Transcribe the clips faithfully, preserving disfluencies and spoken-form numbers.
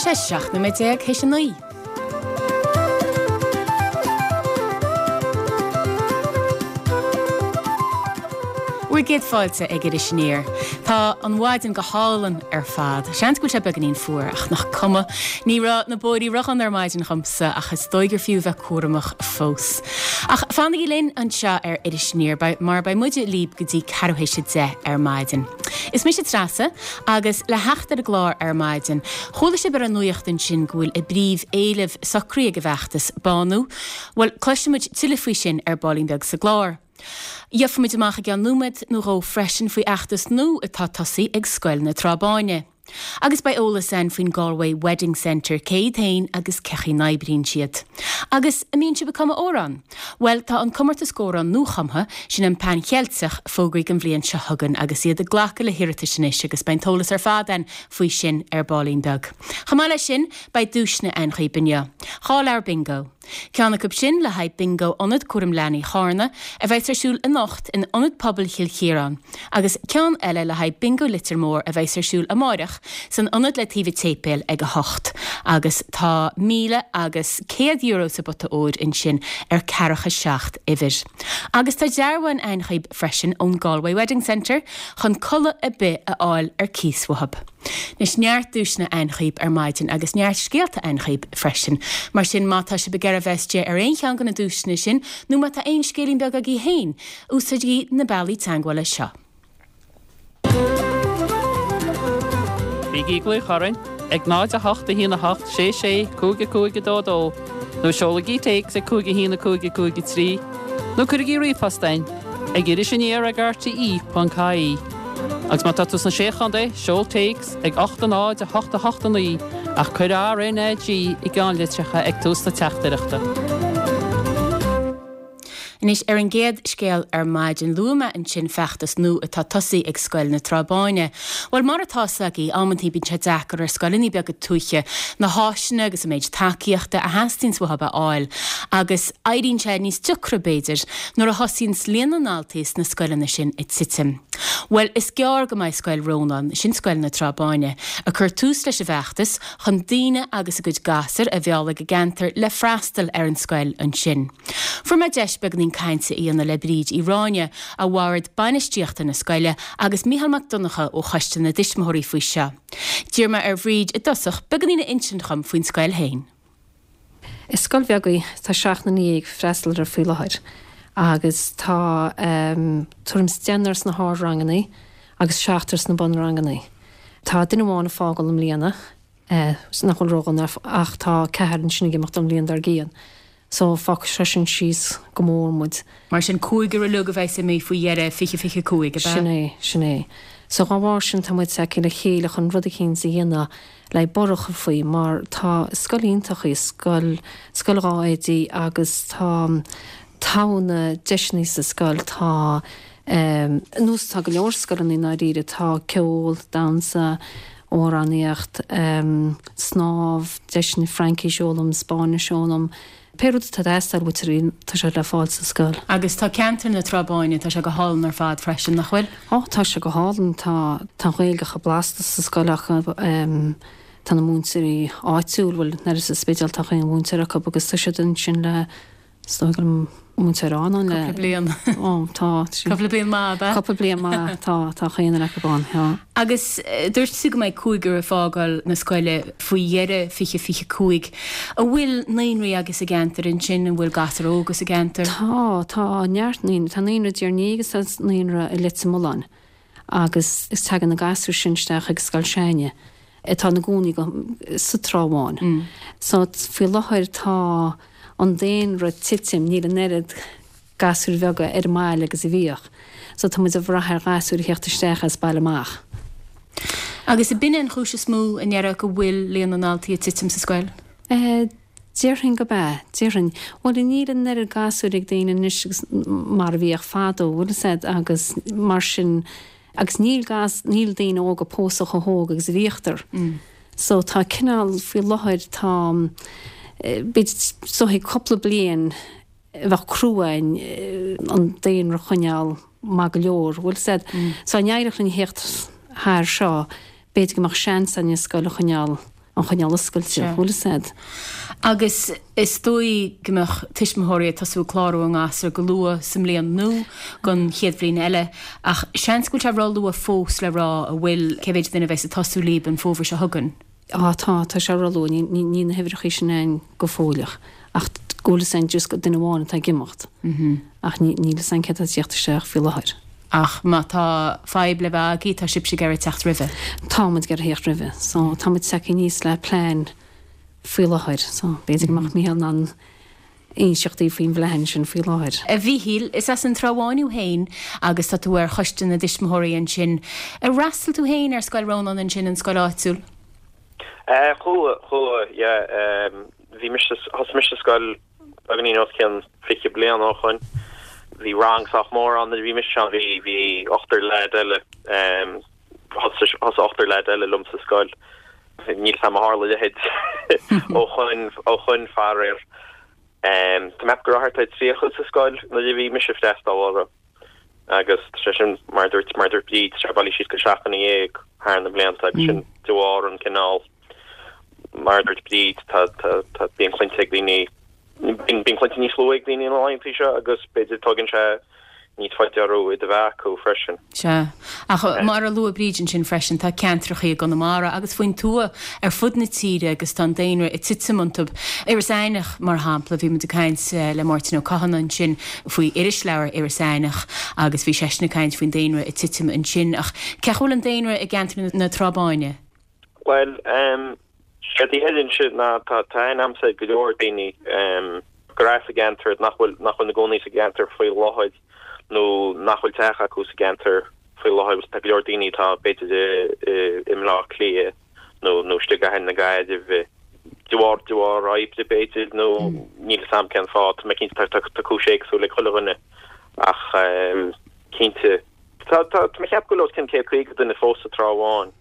Tá sé seacht nóiméad déag théis a naoi. Bhur gcéad fáilte ag Iris Aniar. Tá an mhaidin go hálainn ar fad. Seans go bhfuil sé beagáinín fuar ach nach cuma. Ní raibh na bóithre ródhona ar maidin dhomsa ach is dóigh gur fiú bheith cúramach fós. Ach fanaigí linn anseo ar Iris Aniar mar beidh muide libh go dtí ceathrú théis a deich ar maidin. Is mise Treasa agus le theacht ar an gclár ar maidin, chuala sibh ar an nuacht ansin go bhfuil a bpríomh-éileamh socraithe ag an bhfeachtas bánú. Bhuel, cloisfimid tuilleadh faoi sin ar baillín beag sa gclár. Gheobhaimid amach i gceann nóiméad nó dhó freisin faoi fheachtas nua atá tosaithe ag Scoil na Trá Báine. Agus beidh eolas ann faoin Galway Wedding Centre cé hiad féin agus cén chaoi a n-oibríonn siad. Agus an mbíonn sibh ag cumadh amhrán? Bhuel, tá an comórtas amhrán nuachumtha, sin an Pan Cheilteach, fógraithe don bhliain seo chugainn agus iad ag glacadh le hiarratais anois agus beidh an t-eolas ar fad ann faoi sin ar baillín beag. Chomh maith leis sin, beidh duaiseanna ann dhaoibh inniu. Dhá leabhar bingo. Ceann acu sin le haghaidh Bingo Ionad Cúraim Leanaí Charna, a bheas ar siúl anocht in Ionad Pobail Chill Chiaráin, agus ceann eile le haghaidh Bingo Leitir Móir a bheas ar siúl amáireach san ionad le taobh an tséipéil ag a hocht, agus tá míle agus céad euro sa bpota óir ansin ar ceathracha seacht uimhir. Agus tá dearbhán ann dhaoibh freisin ón Galway Wedding Centre chun culaith ar bith a fháil ar cíos uathub. Anois neart duaiseanna ann dhaoibh ar maidin agus neart scéalta ann dhaoibh freisin. Mar sin má tá sibh ag iarraidh bheith istigh ar aon cheann de na duaiseanna sin nó má tá aon scéilín beag agaibh féin, úsáidigí na bealaí teagmhála seo. Bígí ag glaoch orainn ag náid a hocht a haon a hocht sé sé cúig a cúig a dó dó nó seolaigí téacs ag cúig a haon a cúig a cúig a trí nó cuirigí ríomhphost chugainn ag iris aniar ag R T E ponc I E. Agus má tá tú sna Sé Chontae, seol téacs ag ocht a náid a hocht a hocht a naoi ach cuir R N A G i gceannlitreacha ag tús na teachtaireachta. Anois ar an gcéad scéal ar maidin luaigh mé ansin feachtas nua atá tosaithe ag Scoil na Trá Báine. Bhuel mar atá agaí amantaí bíonn sé deacair ar scoileanna beaga tuaithe na háiseanna agus an méid tacaíochta a theastaíonn uathu a fháil, agus éiríonn sé níos deacra b'fhéidir nuair a thosaíonn líon na ndaltaí sna scoileanna sin ag titim. Bhuel is gearr go mbeidh Scoil Rónáin, sin Scoil na Trá Báine, ag cur tús leis an bhfeachtas chun daoine agus a gcuid gasúr a mhealladh ag an gceantar le freastal ar an scoil ansin. Fuair mé deis beagáinín cainte a dhéanamh le Bríd Uí Ráinne ó bhord bainistíochta na scoile agus Micheál Mac Donncha ó Choiste na dTuismitheoirí faoi seo. D'iarr mé ar Bhríd i dtosach beagáinín a insint dhom faoin scoil féin. Is scoil bheag í, tá seacht nduine ag freastal uirthi faoi láthair agus tá um, tuairim is deichniúr sna hardranganna agus seachtar sna bunranganna. Tá duine amháin ag fágáil i mbliana eh, nach bhfuil ródhona ach tá ceathrar ansin ag imeacht an bhliain dár gcionn. So fágfaidh sé sin síos go mór muid. Mar sin cúigear uilig a bheidh imithe faoi dheireadh fiche fiche cúig Sin é sin é. So dá bharr sin tá muid ag le chéile chun rud éicint a dhéanamh le borradh faoi mar tá scoil iontach í scoil scoil dhá oidí agus tá tá na deiseanna sa scoil tá um, nós tá go leor scoileanna i ndáiríre tá ceol, damhsa, amhránaíocht, um, snámh, deiseanna Fraincis a fhoghlaim, Spáinnis a fhoghlaim. Pé rud atá teastáil uait tá sé le fáil sa scoil. Agus tá ceantar na Trá Báine tá sé go hálainn ar fad freisin nach bhfuil? Ó tá sé go hálainn tá tá Gaeilge chomh blasta sa scoil ach um, tá na múinteoirí áitiúil bhfuil nar sa Spidéal tá aon mhúinteoir acu agus tá siad ansin le múinteoir an le bliain ó tá Cúpla bliain maith Cúpla bliain maith tá tá chaon acu ann. Agus dúirt tú go mbeidh cúigear ag fágáil na scoile faoi dheireadh fiche fiche cúig. An bhfuil naíonraí agus i gceantar ansin an bhfuil gasúir óga sa gceantar? Tá tá neart naíonra tá naíonra déarní agus tá naíonra i Leitir Mealláin agus is tagann na gasúir sin isteach ag scoil s'againne atá ina gcónaí sa Trá Bháin. Mm. So faoi láthair tá an daonra ag titim níl an oiread gasúir bheaga ar an mbaile agus a bhíodh. So tá muid ag brath ar ghasúir a theacht isteach as baile amach. Agus ab in an chúis is mó an ndéarfá go bhfuil líon na ndaltaí ag titim sa scoil? Eh, Déarfainn gurb ea, déarfainn. Bhuel níl an oiread gasúir ag daoine anois agus mar a bhíodh fadó bhfuil said agus mar sin agus níl gas níl daoine óga ag pósadh chomh hóg agus a bhíodar. Mm. So tá cineál faoi láthair tá bit so cúpla bliain bheith cruain an daonra a choinneáil maith go leor, bhfuil said. Mm. So an éireach an héacht haar seo b'fhéidir go mbeadh seans an scoil a choinneáil a choinneáil oscailte, bhfuil fhios a'd. Agus is dóigh go mbeadh tuismitheoirí ag tosú ag clárú a ngasúr go luath sa mbliain nua don chéad bhliain eile, ach seans go bhfuil sé ró-luath fós le rá an bhfuil cé mhéid duine a bheas ag tosú libh an fómhar seo chugainn. Á tá, tá sé ró-luath, níl na huimhreacha sin ann go fóilleach, ach go bhfuil fhios a'inn just gur duine amháin atá ag imeacht. Ach níl fhios a'inn cé atá ag tíocht isteach faoi láthair. Ach má tá fadhb le bheith agaibh, tá sibhse ag iarraidh teacht roimhe. Tá muid ag iarraidh theacht roimhe. So tá muid tagtha aníos le plean faoi láthair. So b'fhéidir go mbeadh Mícheál in ann inseacht daoibh faoin bplean sin faoi láthair. A Mhíchíl, is as an Trá Bháin thú féin agus tá tú ar choiste na dtuismitheoirí ansin. Ar fhreastail tú féin ar Scoil Rónáin ansin, an scoil áitiúil? Eh, chuaigh, chuaigh, yeah. Bhí mise, thosaigh mise sa scoil beagáinín os cionn fiche bliain ó shoin. Bhí rang sách mór ann nuair a bhí mise ann, bhí, bhí ochtar leaid eile, thosaigh, thosaigh ochtar leaid eile liom sa scoil. Níl 'fhios a'm ar tharla a leithéid ó shoin, ó shoin faraor. Tá mé ag ceapadh go raibh thart ar tríocha sa scoil nuair a bhí mise ag freastal orthu. Agus tá sé sin, mar a dúirt, mar a dúirt Bríd, tá sé bailithe síos go seacht nduine dhéag thar na blianta agus sin de bharr an cineál, mar a dúirt Bríd, tá, tá, tá, bíonn clainne ag daoine, bíonn, bíonn clainne níos luaithe ag daoine na laethanta seo agus b'fhéidir tógann sé níos faide orthu iad a bheith acu freisin. Sea. Ach mar a luaigh Bríd ansin freisin, tá ceantracha i gConamara agus faoin tuath ar fud na tíre agus tá an daonra ag titim iontu. Iorras Aithneach, mar shampla, bhí muid ag caint le Máirtín Ó Cadhain ansin faoi irisleabhar Iorras Aithneach agus bhí seisean ag caint faoin daonra ag titim ansin. Ach cén chaoi a bhfuil an daonra i gceantar na Trá Báine? Bhuel, séard a deirimse ná tá aithne a'msa ar go leor daoine gur as an gceantar nach bhfuil nach bhfuil ina gcónaí sa gceantar faoi láthair nó nach bhfuil teach acu sa gceantar faoi láthair. Tá go leor daoine atá b'fhéidir i mBleá Cliath nó nó istigh i gcathair na Gaillimhe de bharr de bharr oibre b'fhéidir nó níl 'fhios a'm cén fáth. Tá mé cinnte tá tá cúis éagsúil ag chuile dhuine ach cinnte tá tá tá mé ag ceapadh go bhfuil os cionn céad caoga duine fós sa Trá Bháin.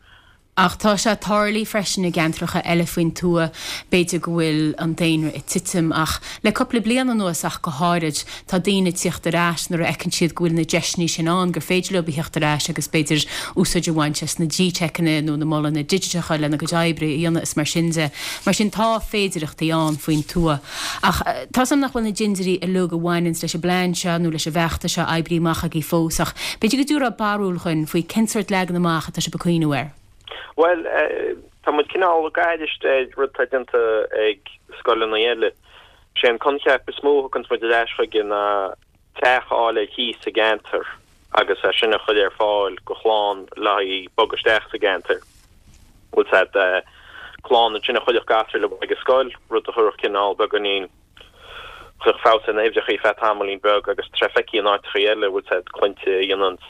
Ach tá sé ag tarlú freisin i gceantracha eile faoin tuath, b'fhéidir go bhfuil an daonra ag titim, ach le cúpla bliain anuas ach go háirid, tá daoine ag tíocht ar ais nuair a fheiceann siad go bhfuil na deiseanna sin ann, gur féidir leo a theacht ar ais agus b'fhéidir úsáid a bhaint as na G-Techanna nó na molanna digiteacha lena gcuid oibre a dhéanamh is mar sin de. Mar sin tá féidireachtaí ann faoin tuath. Ach tá 's a'm nach bhfuil na dintiúirí uilig a bhaineanns leis an bplean seo nó leis an bhfeachtas seo oibrithe amach agaibh fós, ach b'fhéidir go dtabharfá barúil dhuinn faoi cén sórt leagan amach atá sibh ag cuimhniú air. Bhuel, tá muid cineál ag aithris ar rud atá déanta ag scoileanna eile. Sé an coincheap is mó a thuganns muid ar ais chuige ná teach a fháil ar cíos sa gceantar agus é sin a chur ar fáil go chlann le haghaidh bogadh isteach sa gceantar. Bhfuil 's a'd, clann ansin a chuirfeadh gasúir leo ag an scoil, rud a chuirfeadh cineál beagáinín, chuirfeadh feabhas ar na huimhreacha feadh tamaillín beag agus tá sé feicthe in áiteacha eile, bhfuil 's a'd, clainne a dhéananns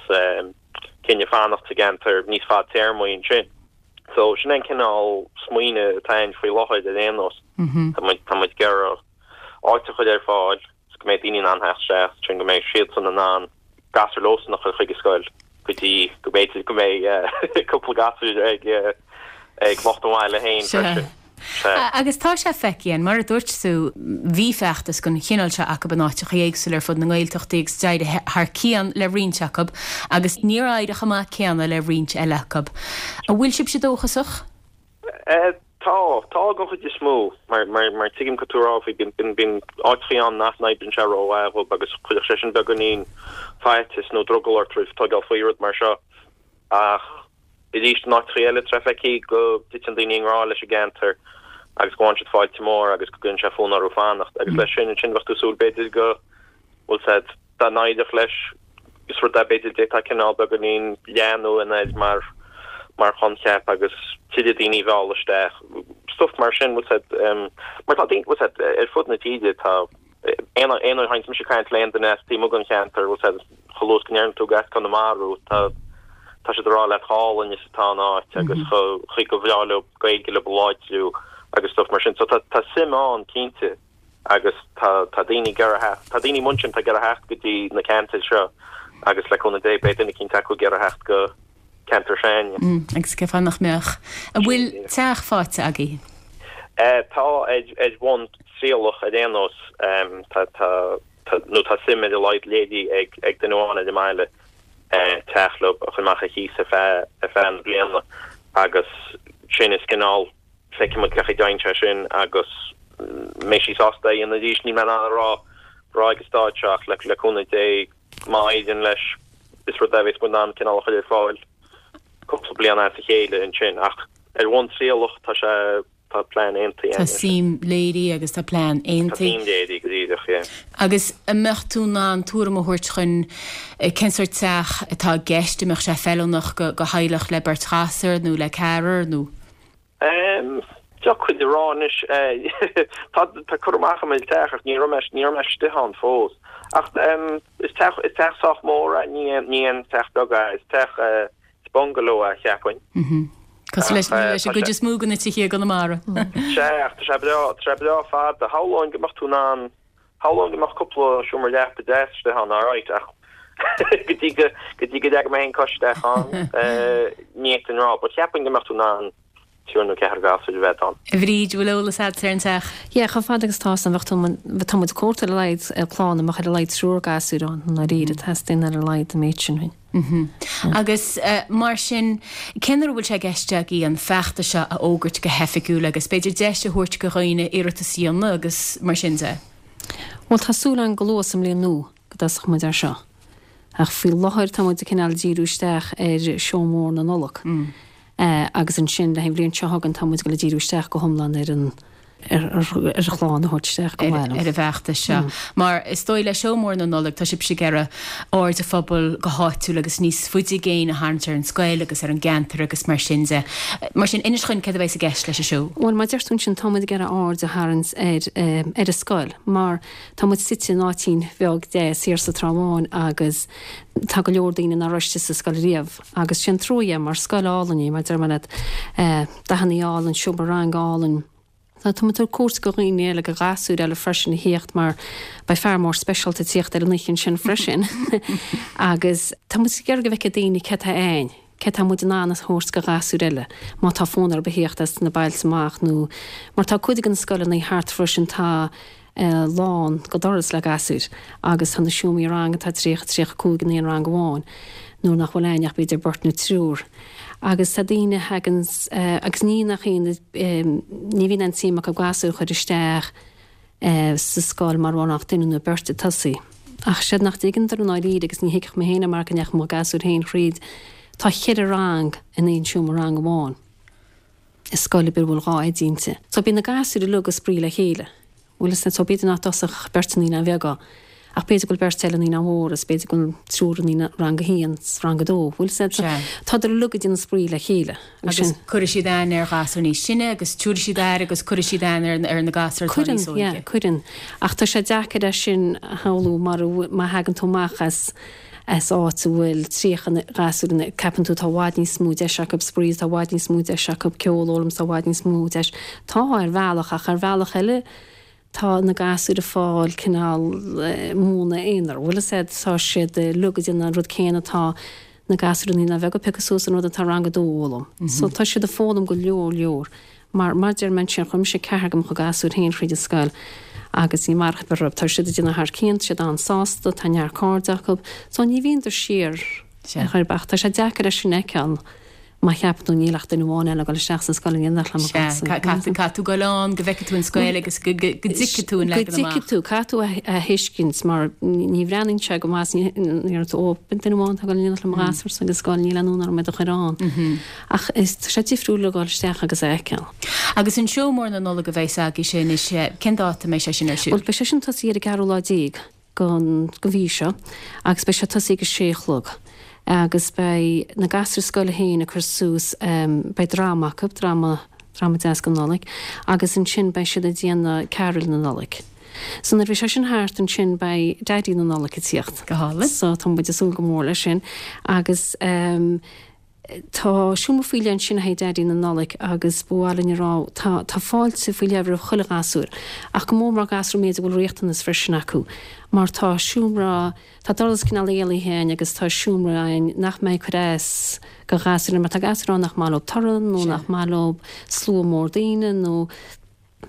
cinneadh fanacht sa gceantar níos fadtéarmaí ansin. So sin é an cineál smaoineamh atá againn faoi láthair ar aon nós. Tá muid tá muid ag iarraidh áit a chur ar fáil is go mbeidh daoine in ann theacht isteach, sin go mbeidh siadsan in ann gasúir leosan a chur chuig an scoil go dtí go mb'fhéidir go mbeidh cúpla gasúr ag ag lucht an bhaile féin freisin. Sea. Agus tá sé feicthe againn, mar a dúirt tú, bhí feachtas den chineál seo acu in áiteacha éagsúla ar fud na nGaeltachtaí agus d'éirigh thar cionn le roinnt acu agus níor éirigh chomh maith céanna le roinnt eile acu. An bhfuil sibhse dóchasach? Tá, tá den chuid is mó, mar, mar, mar tuigim cad tá tú a rá faoi, bíonn, bíonn, bíonn áiteachaí ann nach n-oibríonn sé rómhaith dhóibh agus chuirfeadh sé sin beagáinín faitíos nó drogall ort roimh tógáil faoi rud mar seo ach Arís, in áiteachaí eile, tá sé feicthe go dtiteann daoine i ngrá leis an gceantar agus go bhfaigheann siad fáilte mór agus go gcuireann sé fonn orthu fanacht. Agus leis sin, ansin bheadh tú ag súil b'fhéidir go bhfuil said, dá n-éireodh leis, is rud é b'fhéidir d'fhéadfá cineál beagáinín leathnú air mar mar choincheap agus tuilleadh daoine a mhealladh isteach. Stuff mar sin, bhfuil said, mar tá daoine, bhfuil said, ar fud na tíre tá, Aon uair a théanns mise ag caint le aon duine as taobh amuigh den cheantar, bhfuil said, chomh luath is go ndeireann tú gur as Conamara thú, tá tá siad ag rá leat chomh hálainn is atá an áit agus chomh chaoi gur bhreá leo Gaeilge leo a láidriú agus stuff mar sin. So tá tá suim ann cinnte agus tá tá daoine ag iarraidh theacht, tá daoine amuigh ansin atá ag iarraidh theacht go dtí na ceantair seo agus le cúnamh Dé beidh duine eicínt acu ag iarraidh theacht go ceantar s'againne. Agus cén fáth nach mbeadh? An bhfuil teach faighte agaibh? Tá, ar bhonn trialach ar aon nós. Tá, tá, nó tá suim ar a laghad léirithe ag, ag duine amháin ar an mbaile teach leo a chur amach ar chíos ar feadh, ar feadh na bliana agus sin is cineál Feicfidh muid cén chaoi a dtéann sé sin agus mbeidh sí sásta é a dhéanamh arís. Níl mé in ann a rá rá ag an stáid seo ach le le cúnamh Dé má éiríonn leis is rud é a bheas muid in ann cineál a chur ar fáil cúpla bliain as a chéile ansin ach ar bhonn trialach tá sé tá plean aontaithe Tá againn. suim léirithe agus tá plean Tá aontaithe. suim léirithe go díreach, yeah. Agus an mbeadh tú in ann tuairim a thabhairt chun cén sórt teach atá i gceist, an mbeadh sé feiliúnach go go theaghlach le beirt ghasúr nó le ceathrar nó? Um, Deacair a rá anois tá tá cur amach agam ar an teach ach ní raibh mé ní raibh mé istigh ann fós. Ach um, is teach is teach sách mór é, ní ní aon teach beag é, is teach uh, is bungalow é cheapfainn. Mhm. Cosúil leis Ach, eh, leis an tá gcuid sé- is mó de na tithe i gConamara. Sé ach tá sé breá tá sé breá fada shamhlóinn go mbeadh tú in ann shamhlóinn go mbeadh cúpla seomra leapa deas istigh ann alright ach go dtí go go dtí go dteaga mé féin cois isteach ann eh, ní fhéadfainn rá, but cheapfainn go mbeadh tú in ann triúr nó ceathrar gasúr a bheith ann. A Bhríd, bhfuil eolas agat ar an teach? Yeah, chomh fada agus tá san bheadh tá muid ag cuartú ar a laghad eh, clann a mbeadh ar a laghad triúr gasúr ann i ndáiríre teastaíonn ar a laghad an méid sin féin. Mhm. Agus uh, mar sin cén uair a bhfuil sé i gceist agaibh an feachtas seo a fhógairt go hoifigiúil agus b'fhéidir deis a thabhairt do dhaoine iarratas a dhéanamh agus mar sin de. Well tá súil againn go luath sa mbliain nua go dtosóidh muid ar seo. Ach faoi láthair tá muid ag cineál díriú isteach ar seó mór na Nollag. Mm. Uh, agus ansin le an bhliain seo chugainn tá muid le díriú isteach go hiomlán ar an ar ar ar chlann a thabhairt isteach go ar bhfuil. ar an bhfeachtas seo. Mar is dóigh le seó mór na Nollag tá sibh ag iarraidh aird an phobail go háitiúil agus níos faide i gcéin a tharraingt ar an scoil agus ar an gceantar agus mar sin de. Mar sin inis dúinn céard a bheas i gceist leis an seó. Well mar deir tú ansin tá muid ag iarraidh aird a tharraingt ar um, ar an scoil, mar tá muid suite in áitín bheag deas thiar sa Trá Bháin agus tá go leor daoine nach raibh istigh sa scoil riamh agus sin trua mar scoil álainn í mar deir mé leat eh, dathanna álainn, seomra ranga álainn. Tá tá ag cuartú go dhaoine eile go gasúir eile freisin a theacht mar beidh fear mór speisialta ag tíocht ar an oíche sin freisin. agus tá muid ag iarraidh go bhfeicfidh daoine cé tá ann, cé tá muid in ann a thabhairt go gasúir eile, má tá fonn orthu theacht as na bailte amach nó mar tá cuid de na scoileanna thart freisin tá eh, lán go doras le gasúir agus tá na seomraí ranga tá tríocha tríocha cúig in aon rang amháin nuair nach bhfuil aon ach b'fhéidir beirt nó triúr. Agus tá daoine hagan uh, agus ní nach aon um, ní bhíonn an tsuim acu gasúir a chur isteach uh, sa scoil mar bhfuil ach duine nó beirt ag tosaí. Ach siad nach dtuigeann i ndáiríre agus ní thuigfeadh mé féin mar go ndeachaigh mo ghasúr féin thríd tá ceithre rang in aon seomra rang amháin. Is scoil ar bhfuil dhá oide inti. So bíonn na gasúir uilig ag spraoi le chéile. Bhfuil is so b'fhéidir nach dtosódh beirt naíonáin bheaga. Ach b'fhéidir go bhfuil beirt eile naíonáin mhóra, is b'fhéidir go bhfuil triúr naíonáin rang a haon, rang a dó. Bhfuil is tá uilig ag déanamh spraoi le chéile. Agus cuirfidh siad aithne ar ghasúir níos sine agus tabharfaidh siad aire agus cuirfidh siad aithne ar ar na gasúir atá níos Cuireann, yeah, óige. cuireann. Ach tá sé deacair é sin a shamhlú mar a- má thagann tú amach as as áit a bhfuil tríocha gasúr ina ceapann tú tá i bhfad níos mó deis acu spraoi, tá i bhfad níos mó deis acu ceol a fhoghlaim, tá i bhfad níos mó deis. Tá ar bhealach ach ar bhealach eile tá na gasúir ag fáil cineál eh, múineadh aonair. Bhfuil is tá siad uilig ag déanamh an rud céanna tá na gasúir naíonáin bheaga ag piocadh suas an rud atá rang a dó a fhoghlaim. So tá siad ag foghlaim go leor leor. Mar mar deir mé sin chuir mise ceathrar de mo ghasúir féin thríd an scoil agus ní mar rud tá siad ag déanamh thar cionn, siad an-sásta, tá neart cairde acu, so ní bhíonn siar chuir bach tá sé deacair leis sin fheiceáil má cheapann tú níl ach duine amháin eile ag dul isteach sa scoil in éineacht le mo Sea, ghasúr. Caithfidh tú dul ann go bhfeicfidh tú an scoil agus go go- go dtuigfidh tú an Go leagan amach. dtuigfidh tú caithfidh tú a a thuiscint mar ní bhreathnaíonn sé go maith ní ó duine amháin ag dul in éineacht le mo ghasúr sa scoil níl aon fhonn orm iad a chur ann. Ach is tá sé difriúil le dul isteach agus a fheiceáil. Agus an seó mór na Nollag a bheas agaibh sin is cén dáta mbeidh sé sin ar siúl. Well beidh sé sin tosaí ar an gceathrú lá déag den den mhí seo agus beidh sé tosaí ag a sé a chlog. Agus beidh na gasúir scoile féin ag cur suas um, beidh dráma acu, dráma dráma deas don Nollaig, agus ansin beidh siad ag déanamh carúil na Nollag. So nuair bhí sé sin thart ansin beidh Daidí na Nollag ag tíocht. Go hálainn. So tá muid ag súil go mór leis sin agus um, tá seomra faoi leith ansin ag Daidí na Nollag agus bhuailinn rá tá tá fáilte faoi leith roimh chuile ghasúr ach go mór mór gasúir méid a bhfuil riachtanas freisin acu mar tá seomra tá doras cineál éalaithe ann agus tá seomra ann nach mbeidh cur as go gasúr mar tá gasúir ann nach maith leo torann nó nach maith leo slua mór daoine nó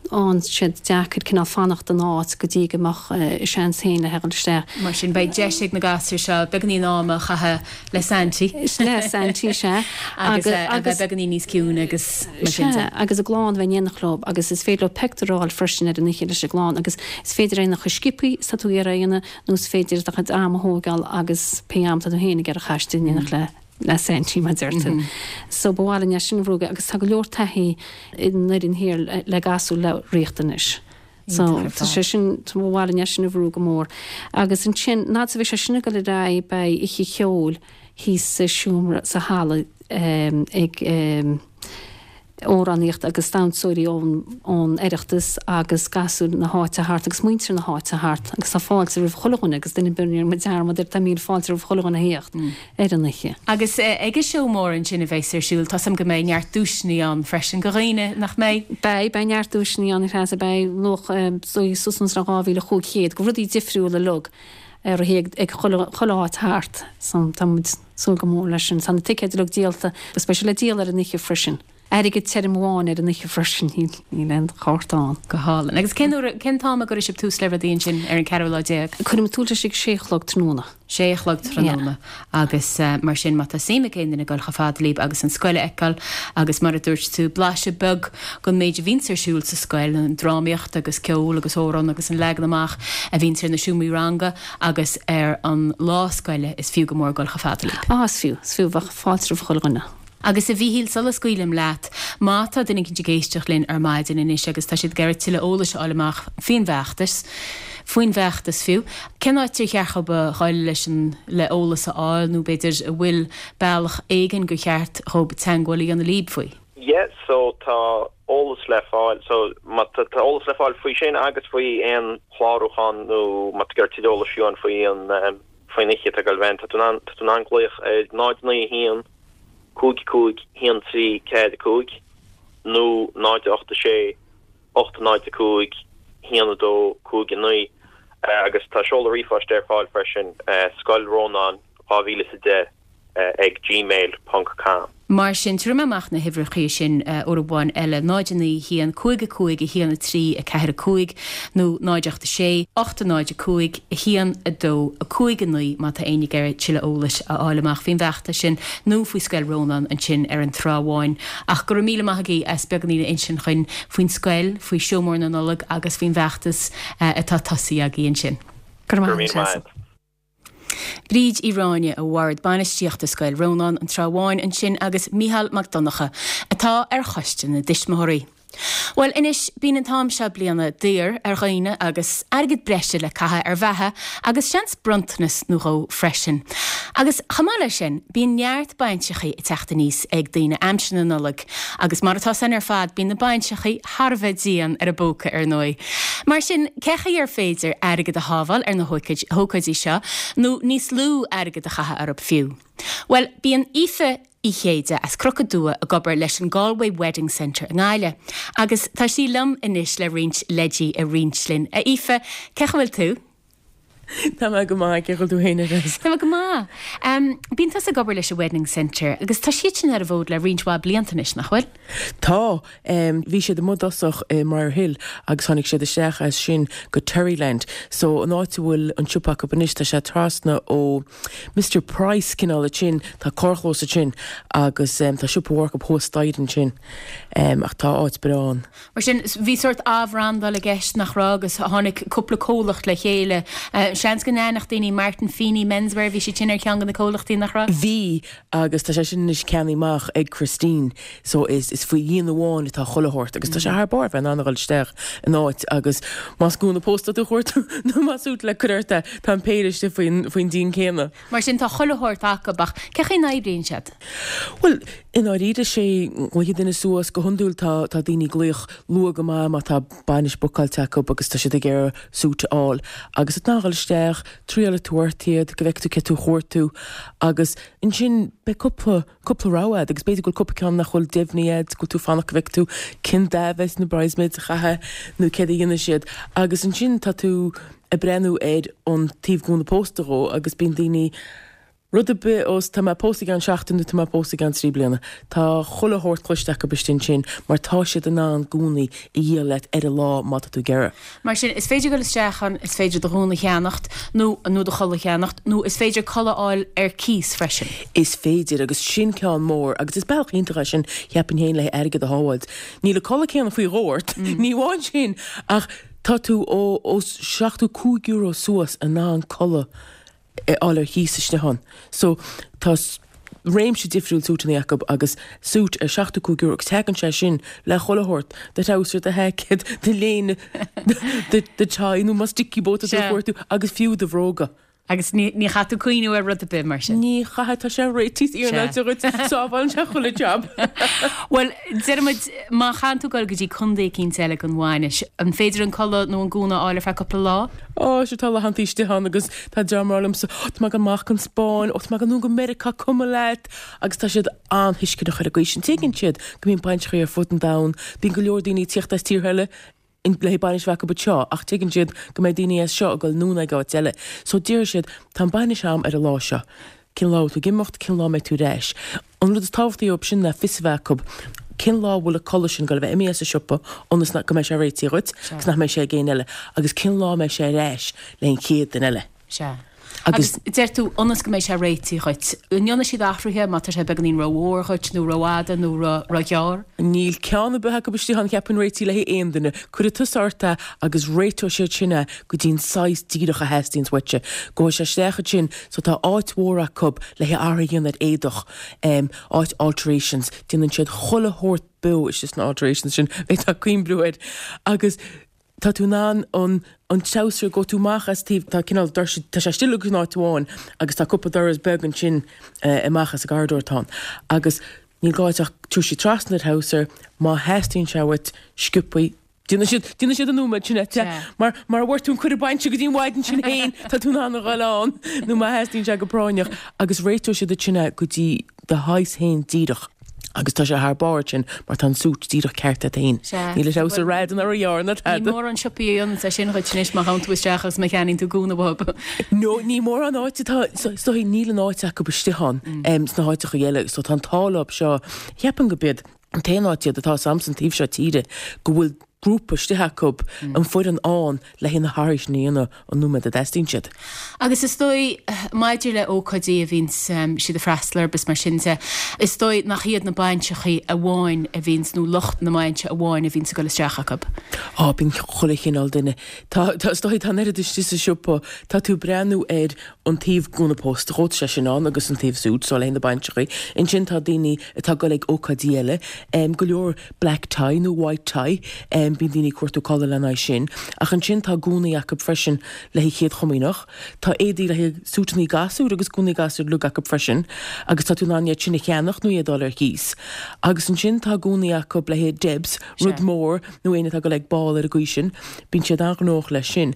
Fhaigheann siad deacair cineál fanacht in áit go dtí go mbeadh a seans féin le theacht isteach. Mar sin, beidh deis ag na gasúir seo beagáinín ama a chaitheamh le Santy. Le Santy, sea. Agus a bheith beagáinín níos ciúine agus mar sin de. Sea, agus a gclann a bheith in éineacht leo agus is féidir leo pictiúr a fháil freisin ar an oíche leis an gclann agus is féidir é a dhéanamh chomh sciobtha is atá tú ag iarraidh a dhéanamh nó is féidir do chuid ama a thógáil agus pé am atá tú féin ag iarraidh a chaitheamh in éineacht le le Santy mar deir tú. So ba mhaith linn é sin a bhrú agus tá go leor taithí in fhoireann thiar le gasúir le riachtanais. So tá sé sin ba mhaith linn é sin a bhrú go mór. Agus ansin nuair a bheidh sé sin ag dul ar aghaidh beidh oíche cheoil thíos sa seomra sa halla ag amhránaíocht agus damhsóirí ón ón Oireachtas agus gasúir na háite thart agus muintir na háite thart agus tá fáilte roimh chuile dhuine agus duine ar bith níl muid dearmad ar tá míle fáilte roimh chuile dhuine a theacht ar an oíche. Agus ag an seó mór ansin a bheas ar siúl, tá 's agam go mbeidh neart duaiseanna ann freisin do dhaoine, nach mbeidh? Beidh, beidh neart duaiseanna ann a Threasa, beidh luach suas le dhá mhíle chúig chéad de rudaí difriúla uilig ar ag ag chuile chuile áit thart so tá muid súil go mór leis sin. Tá na ticéid uilig díolta agus beidh sé le díol ar an oíche freisin. Airgead tirim amháin ar an oíche freisin, níl aon chárta ann. Go hálainn. Agus cén uair, cén t-am a gcuirfidh sibh tús le rudaí ansin ar an ceathrú lá déag? Cuirfidh muid tús leis ag sé a chlog tráthnóna. Sé a chlog tráthnóna. Agus mar sin má tá suim ag aon duine dul chomh fada libh agus an scoil a fheiceáil agus mar a dúirt tú blaiseadh beag den méid a bhíonns ar siúl sa scoil, an drámaíocht agus ceol agus amhrán agus an leagan amach a bhíonns ar na seomraí ranga agus ar an lá scoile is fiú go mór dul chomh fada libh. Á is fiú, is fiú, bheadh fáilte roimh chuile dhuine. Agus a Mhíchíl, sula scaoilim leat, má tá duine éicint ag éisteacht linn ar maidin anois agus tá siad ag iarraidh tuilleadh eolais a fháil amach faoin bhfeachtas, faoin bhfeachtas fiú, cén áit ar cheart dhób a dhul leis an, le eolas a fháil nó b'fhéidir an bhfuil bealach éigin gur cheart dhób teagmháil a dhéanamh libh faoi? Yeah, so tá eolas le fáil, so má tá tá eolas le fáil faoi sin agus faoi aon chlárúchán nó má tá tú ag iarraidh tuilleadh eolais fiú faoi an, faoin oíche atá ag dul a bheith ann, tá tú in ann, tá tú in ann glaoch ar náid naoi a haon, cúig cúig haon trí ceathair cúig nó náid ocht a sé ocht náid a cúig haon a dó cúig a naoi agus tá seoladh ríomhphoist ar fáil freisin, Scoil Rónáin dhá mhíle is a deich ag gmail ponc com. Mar sin, tabharfaidh mé amach na huimhreacha sin uair amháin eile, náid a naoi a haon, cúig a cúig, a haon a trí, a ceathair a cúig, nó náid ocht a sé, ocht a náid a cúig, a haon a dó, a cúig a naoi má tá éinne ag iarraidh tuilleadh eolais a fháil amach faoin bhfeachtas sin nó faoi Scoil Rónáin ansin ar an Trá Bháin. Ach go raibh míle maith agaibh as beagáinín a insint dhuinn faoin scoil, faoi Seó Mór na Nollag agus faoin bhfeachtas atá tosaithe agaibh ansin. Go raibh maith agat. Bríd Uí Ráinne ó Bhord Bainistíochta Scoil Rónáin, An Trá Bháin ansin agus Mícheál Mac Donncha atá ar Choiste na dTuismitheoirí. Bhuel anois, bíonn an t-am seo bliana daor ar dhaoine agus airgead breise le caitheamh ar bheatha agus seans bronntanas nó dhó freisin. Agus chomh maith leis sin, bíonn neart bainseachaí ag teacht aníos ag daoine aimsir na Nollag agus mar atá san ar fad bíonn na bainseachaí thar a bheith dian ar an bpóca ar ndóigh. Mar sin, cé chaoi ar féidir airgead a shábháil ar na hócáidí seo nó níos lú airgead a chaitheamh orthu fiú? Bhuel, bíonn Aoife Uí Chéide as Cnoc an Dua ag obair leis an Galway Wedding Centre i nGaillimh agus tá sí liom anois le roinnt leidí a roinnt linn. A Aoife, cén chaoi a bhfuil tú? Tá mé go maith, cén chaoi a bhfuil tú féin a Threasa? Tá mé go maith. Bíonn tusa ag obair leis an Wedding Centre agus tá siad sin ar an bhfód le roinnt mhaith blianta anois, nach bhfuil? Tá. Bhí siad amuigh i dtosach i mBriar Hill agus tháinig siad isteach as sin go Terryland. So an áit a bhfuil an siopa acu anois, tá sé trasna ó Mister Price cineál ansin, tá carrchlós ansin agus tá siopa mhór acu thuas staighre ansin. Ach tá áit breá ann. Mar sin, bhí sórt athbhrandáil i gceist, nach raibh, agus tháinig cúpla comhlacht le chéile. Seans go n-aithneodh daoine Martin Feeney Menswear, bhí siad sin ar cheann de na comhlachtaí, nach raibh? Bhí, agus tá sé sin anois ceannaithe amach ag Christine, so is is faoi dhíon amháin atá chuile shórt, agus tá sé thar barr bheith in ann a dhul isteach in áit agus más gúna pósta tú a chuartú nó más siúta le cur ort é, tá an péire istigh faoin faoin díon céanna. Mar sin, tá chuile shórt acu, ach cé chaoi a n-oibríonn siad? Bhuel, i ndáiríre, sé, glaofaidh duine suas, go hiondúil tá tá daoine ag glaoch luath go maith má tá bainis bookáilte acu agus tá siad ag iarraidh suit a fháil agus tá tú in ann a dhul isteach, triálfaidh tú ort iad go bhfeicfidh tú cé tú a chuartú agus ansin beidh cúpla cúpla rogha agat agus b'fhéidir go bhfuil cúpla ceann nach bhfuil deimhnithe agat, go bhfuil tú ag fanacht go bhfeicfidh tú cén dath a bheas na bridesmaids a chaitheamh nó céard a dhéanfaidh siad agus ansin tá tú ag breathnú ar an taobh gúna pósta dhó agus bíonn daoine Rud ar bith os tá mé ag pósadh i gceann seachtain nó tá mé ag pósadh i gceann trí bliana. Tá chuile shórt cloiste acu istigh ansin mar tá siad in ann gúnaí a dhíol leat ar an lá má tá tú ag iarraidh. Mar sin, is féidir dul isteach ann, is féidir do ghúna a cheannacht nó nó do chulaith a cheannacht nó is féidir culaith a fháil ar cíos freisin. Is féidir agus sin ceann mór agus is bealach iontach é sin cheapfainn féin le airgead a shábháilt. Níl an culaith céanna faoi dhó ort, ní amháin sin ach tá tú ó ó seachtó cúig euro suas in ann culaith a fháil ar chíos istigh ann. So tá réimse difriúil súiteanna acu agus suit ar seachtó cúig euro agus tagann sé sin le chuile shórt, do threabhsar, do sheaicéad, do léine, do tie nó más dickie boot atá tú ag cuartú agus fiú do bhróga. Agus ní ní chaithfidh tú cuimhniú ar rud ar bith mar sin. Ní chaithfidh, tá sé réitithe iarnáilte dhuit, sábhálann sé chuile jab. Bhuel, deirimid, má chaitheann tú dul go dtí contae eicínt eile don bhainis, an féidir an culaith nó an gúna a fháil ar feadh cúpla lá? Ó, sea, tá laethantaí istigh ann agus tá dream ag rá liomsa, Ó, tá mé ag dul amach chun Spáinn, ó, tá mé ag dul anonn go Meiriceá, cuma leat. Agus tá siad an-thuisceanach ar an gcaoi sin. Tuigeann siad go mbíonn bainiseachaí ar fud an domhain, bíonn go leor daoine ag tíocht as tíortha eile le haghaidh bainis a bheith acu anseo ach tuigeann siad go mbeidh daoine as seo ag dul anonn ag áit eile. So déarfaidh siad, tá an bainis a'm ar an lá seo. Cén lá a bhfuil tú ag imeacht, cén lá a mbeidh tú ar ais. An rud is tábhachtaí dhóibh sin ná fios a bheith acu cén lá a bhfuil an culaith sin ag dul a bheith imithe as an siopa ionas go mbeidh sé réitithe dhuit agus nach mbeidh sé ag éinne eile agus cén lá a mbeidh sé ar ais le an chéad duine eile. Sea. Agus deir tú ionas go mbeidh sé réitithe dhuit. An ndéanfaidh siad athruithe má tá sé beagáinín rómhór dhuit nó rófhada nó róghearr? Níl ceann ar bith acu istigh ann cheapfainn réitithe le haghaidh aon duine. Cuirfidh tusa ort é agus réiteoidh siad sin é go dtí an saghas díreach a theastaíonns uaitse. Gabhfaidh sé isteach ansin so tá áit mhór acu le haghaidh athruithe a dhéanamh ar éadach, áit alterations, déanann siad chuile shórt beo istigh sna alterations sin, bheifeá ag cuimhniú air. Agus tá tú in ann an an treabhsar, gabhfaidh tú amach as taobh, tá cineál doirse, tá sé istigh in áit amháin agus tá cúpla doras beag ansin amach as an gcorridor atá ann. Agus níl gá duit ach tabharfaidh siad trasna do threabhsar, má theastaíonn sé uait, sciobthaí, déanfaidh siad, déanfaidh siad an nóiméad sin duit, mar, mara bhfuair tú an cuireadh bainse go dtí an mhaidin sin féin, tá tú in ann a dhul ann, nó má theastaíonn sé go práinneach, agus réiteoidh siad duit sin é go dtí do shaghas féin díreach. Agus tá sé thar barr ansin mar tá an suit díreach ceart agat féin. Sea. Níl an treabhsar rófhada ná róghearr ná Ní tada. mórán siopaí a dhéananns é sin dhuit anois má ghabhann tú isteach agus má cheannaíonn tú gúna uathu. No, ní mórán áit atá, so, is dóigh, níl an áit acu istigh ann em, sna háiteacha eile, so tá an t-ádh leo seo, cheapfainn go b'iad an t-aon áit iad atá 's a'msa an taobh seo tíre go bhfuil grúpa istigh acu, an foireann ann le haghaidh na hathruithe sin a dhéanamh an nóiméad a dteastaíonn siad. Agus is dóigh, maidir le ócáidí a bhíonns siad ag freastal orthu is mar sin de, is dóigh nach iad na bainseachaí amháin a bhíonns, nó lucht na mbainse amháin a bhíonns ag dul isteach acu. Á, bíonn chuile chineál duine. Tá, tá, is dóigh, tá an oiread istigh sa siopa, tá tú ag breathnú ar an taobh gúna pósta, dhó, tá sé sin ann agus an taobh suit, so le haghaidh na bainseachaí. Ansin tá daoine atá ag dul ag ócáidí eile, go leor black tie nó white tie, bíonn daoine ag cuartú culaith lena aghaidh sin. Ach ansin tá gúnaí acu freisin le haghaidh Chéad Chomaoineach. Tá éadaí le haghaidh súiteanna gasúr agus gúnaí gasúr uilig acu freisin agus tá tú in ann iad sin a cheannach nó iad a fháil ar cíos. Agus ansin tá gúnaí acu le haghaidh Debs, rud mór, nó éinne atá ag dul ag ball ar an gcaoi sin, bíonn siad an-ghnóthach leis sin.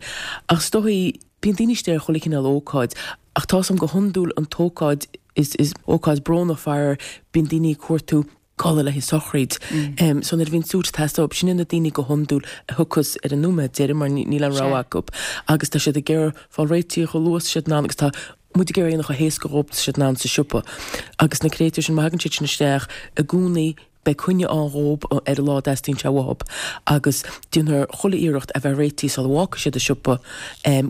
Ach is dóigh, bíonn daoine istigh ar chuile chineál ócáid ach tá's a'm go hiondúil an t-ócáid is is ócáid brónach faraor, bíonn daoine ag cuartú culaith le haghaidh sochraid. So nuair a bhíonn suit ag teastáil uathu, sin iad na daoine go hiondúil a thiocfas ar an nóiméad deiridh mar níl aon rogha acu agus tá siad ag iarraidh fáil réitithe chomh luath is tá siad in ann agus tá muid ag iarraidh a dhéanamh chomh héasca dhóibh is tá siad in ann sa siopa. Agus na créatúir sin, má thagann siad sin isteach i gcónaí beidh coinne ann dhóibh ar an lá a dteastaíonn sé uathu agus déanfar chuile iarracht a bheith réitithe sula bhfágfaidh siad an siopa,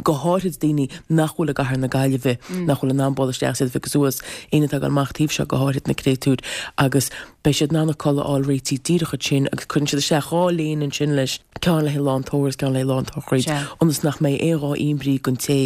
go háirithe daoine nach bhfuil i gcathair na Gaillimhe, nach bhfuil in ann bualadh isteach is iad a phiocadh suas, éinne atá ag dul amach taobh seo, go háirithe na créatúir, agus beidh siad in ann an culaith a fháil réitithe díreach ansin agus cuireann siad isteach dhá léine ansin leis, ceann le haghaidh lá an tórraimh is ceann le haghaidh lá an tsochraid, ionas nach mbeidh aon dhá imní don té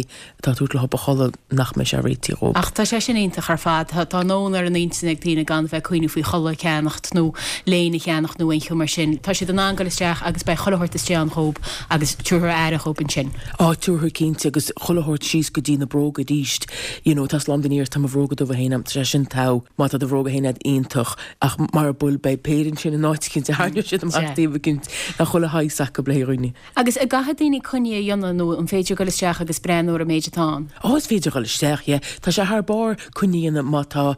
atá ag tabhairt leo a chulaith nach mbeidh sé réitithe dhóibh. Ach tá sé sin iontach ar fad. Tá an fhonn ar an intinn ag daoine gan bheith ag cuimhneamh faoi chulaith a cheannacht nó léine a cheannacht nó aon cheo mar sin. Tá siad in ann dul isteach agus beidh chuile shórt istigh ann dhóibh agus tabharfar aire dhóibh ansin. Á, tabharfar cinnte agus chuile shórt síos go dtí na bróga arís. You know, tá slám den iarracht, tá mo bhróga dubha féin agam, tá sé sin togha. Má tá do bhróga féin agat iontach ach mara bhfuil beidh péire ansin in áit eicínt a tharraingeoidh siad amach taobh eicínt. Tá chuile shaghas acu le haghaidh dhaoine. Agus an gcaithfidh daoine coinne a dhéanamh nó an féidir dul isteach agus breathnú ar an méid atá ann? Ó, is féidir dul isteach, yeah. Tá sé thar barr coinne a dhéanamh má tá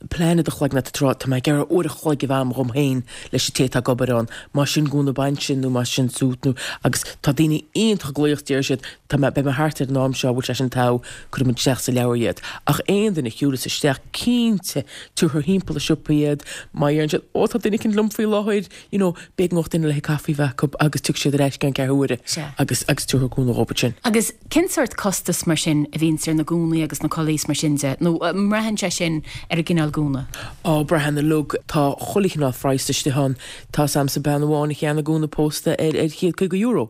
plean i do chloigeann agat ag rá, tá mé ag iarraidh uair a chloig a bheith a'm dhom féin leis an té atá ag obair ann, más sin gúna bainise nó más sin suit nó, agus tá daoine iontach ag glaoch deir siad, tá mé, beidh mé thart ar an am seo, bhfuil sé sin togha, cuirfidh muid isteach sa leabhar iad. Ach aon duine a shiúlas isteach, cinnte, tabharfar thimpeall an siopa iad, má dheireann siad, ó tá duine eicínt liom faoi láthair, you know, b'éigean do dhuine le haghaidh caife a bheith acu agus tiocfaidh siad ar ais i gceann ceathrú uaire agus, agus tabharfar gúna dhóibh ansin. Agus cén sórt costas mar sin a bhíonns ar na gúnaí agus na culaithí is mar sin de, nó an mbraitheann sé sin ar an gcineál gúna? Á, braitheann uilig. Tá chuile chineál phraghas istigh ann. Tá's a'msa bean amháin a cheannaigh gúna pósta ar ar chéad caoga euro.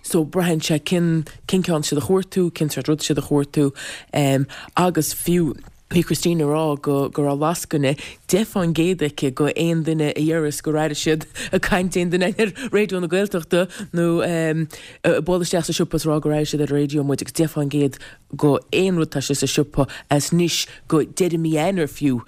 So braitheann sé cén cén ceann siad a chuartú, cén sórt rud siad a chuartú agus fiú bhí Christine ag rá go go raibh lascaine deich fán gcéad aici go aon duine a deireas gur airigh siad ag caint aon duine ar Raidió na Gaeltachta nó bualadh isteach sa siopa is rá gur airigh siad ar an raidió muid agus deich fán gcéad go aon rud tá sé sa siopa as anois go deireadh mí Eanáir fiú.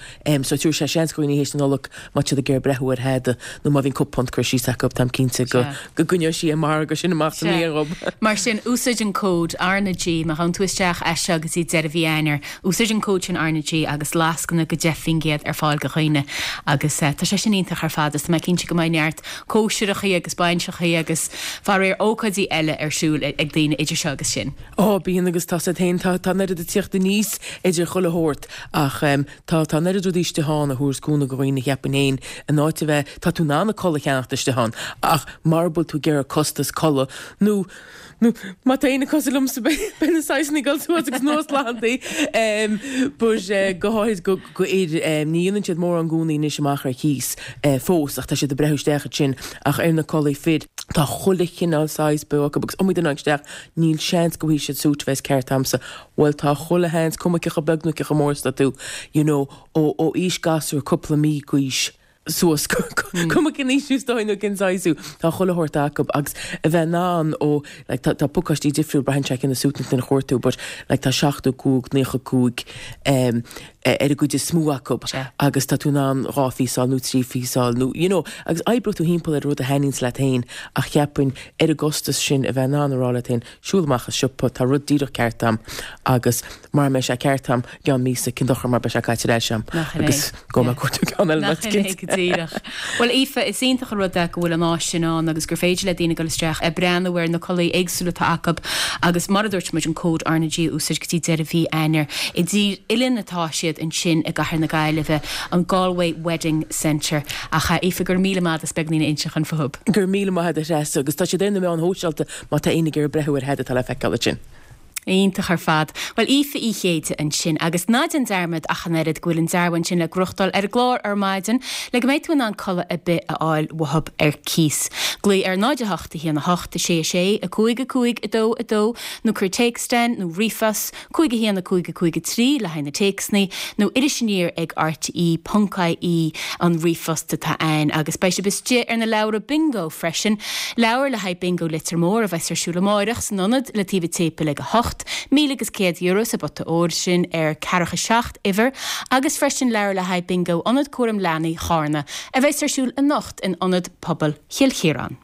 So tabharfaidh sé seans go dhaoine théis na Nollag má tá siad ag iarraidh breathnú ar thada nó má bhíonn cúpla punt curtha síos acu táim cinnte go go gcoinneoidh sí an margadh sin amach sa mbliain dhób. Mar sin, úsáid an cód RnaG má ghabhann tú isteach as seo go dtí deireadh mhí Eanáir. Úsáid an cód sin RnaG agus lascaine go deich faoin gcéad ar fáil go dhaoine agus tá sé sin iontach ar fad is tá mé cinnte go mbeidh neart cóisireachaí agus bainseachaí agus faraor ócáidí eile ar siúl ag daoine idir seo agus sin. Ó, bíonn agus tá siad féin, tá, tá an oiread ag tíocht aníos idir chuile shórt ach tá, tá an oiread rudaí istigh ann a thabharfas cúnamh go dhaoine cheapfainn féin in áit a bheith, tá tú in ann an culaith a cheannacht istigh ann ach mara bhfuil tú ag iarraidh costas culaith nó, nó má tá éinne cosúil liomsa beidh, beidh na saghsanna ag dul suas agus anuas laethantaí but go háirid go, go fhir, ní dhéanann siad mórán gúnaí anois amach ar cíos fós ach tá siad ag breathnú isteach ansin ach ar na culaithí fir tá chuile chineál saghas beo acu agus iomaí duine a tháinig isteach níl seans go bhfaighidh siad suit a bheas ceart a'msa. Bhuel tá chuile sheans, cuma cé chomh beag nó cé chomh mór is atá tú, you know, ó ó aois gasúr cúpla mí d'aois suas, cuma cén aois thú is dóigh nó cén saghas thú, tá chuile shórt acu agus a bheith in ann ó, like tá tá pacáistí difriúil, braitheann sé cén suit na chuartú but like tá seachtó cúig, naocha cúig em ar an gcuid is mó acu agus tá tú in ann dhá phíosáil nó trí phíosáil nó you know agus oibreoidh tú thimpeall ar rud a thaitníonns leat féin ach cheapfainn ar an gcostas sin a bheith in ann a rá leat féin siúl amach as siopa tá rud díreach ceart a'm agus mara mbeidh sé ceart a'm i gceann míosa cén dochar mar beidh sé caite ar ais a'm agus gabhfaidh mé ag cuartú ceann eile Nach in é go díreach. Bhuel Aoife is iontach an rud é go bhfuil an áis sin ann agus gur féidir le daoine dul isteach ag breathnú ar na culaithí éagsúla atá acu agus mar a dúirt muid an cód RnaG a úsáid go dtí deireadh mhí Eanáir. I dTír Oileann atá siad ansin i gcathair na Gaillimhe, an Galway Wedding Centre. Ach Aoife, go raibh míle maith agat as beagáinín a inseacht fúthu. Go raibh míle maith agat a Threasa agus tá siad ar na meáin shóisialta má tá éinne ag iarraidh breathnú ar thada atá le feiceáil ansin. Iontach ar fad. Bhuel, Aoife Uí Chéide ansin. Agus ná déan dearmad ach an oiread go bhfuil an dearbhán sin le gnóthachtáil ar an gclár ar maidin le go mbeidh tú in ann culaith ar bith a fháil uathub ar cíos. Glaoigh ar náid a hocht a haon a hocht a sé a sé a cúig a cúig a dó a dó nó cuir téacs chugainn nó ríomhphost cúig a haon a cúig a cúig a trí le haghaidh na téacsanna, nó iris aniar ag rte ponc ie an ríomhphost atá ann. Agus beidh sibh istigh ar na leabhra bingo freisin, leabhar le haghaidh bingo Leitir Móir a bheas ar siúl amáireach san ionad le taobh an tséipéil ag a hocht, míle agus céad euro sa bpota óir sin ar ceathracha seacht uimhir, agus freisin leabhar le haghaidh bingo Ionad Cúram Leanaí Chárna a bheas ar siúl anocht in Ionad Pobail Chill Chiaráin.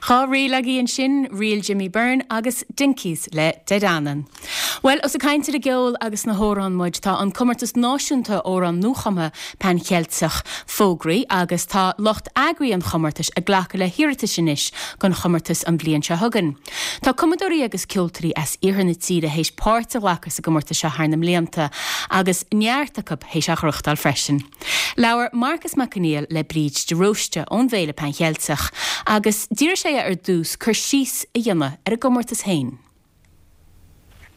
Dhá ríl agaibh ansin, Ríl Jimmy Byrne agus Dinkies le Dé Danann. Bhuel, os ag caint ar an gceol agus na hamhráin muid, tá an comórtas náisiúnta amhrán nuachumtha Pan Cheilteach fógraithe agus tá lucht eagraithe an chomórtais ag glacadh le hiarratais anois don chomórtas an bhliain seo chugainn. Tá cumadóirí agus ceoltóirí as iarthar na tíre théis páirt a ghlacadh sa gcomórtas seo thar na mblianta agus neart acu théis a ghnóthachtáil freisin. Labhair Marcus Mac Conghail le Bríd de Róiste ón bhFéile Pan Cheilteach agus d'iarr sé ar dtús cur síos a dhéanamh ar an gcomórtas féin.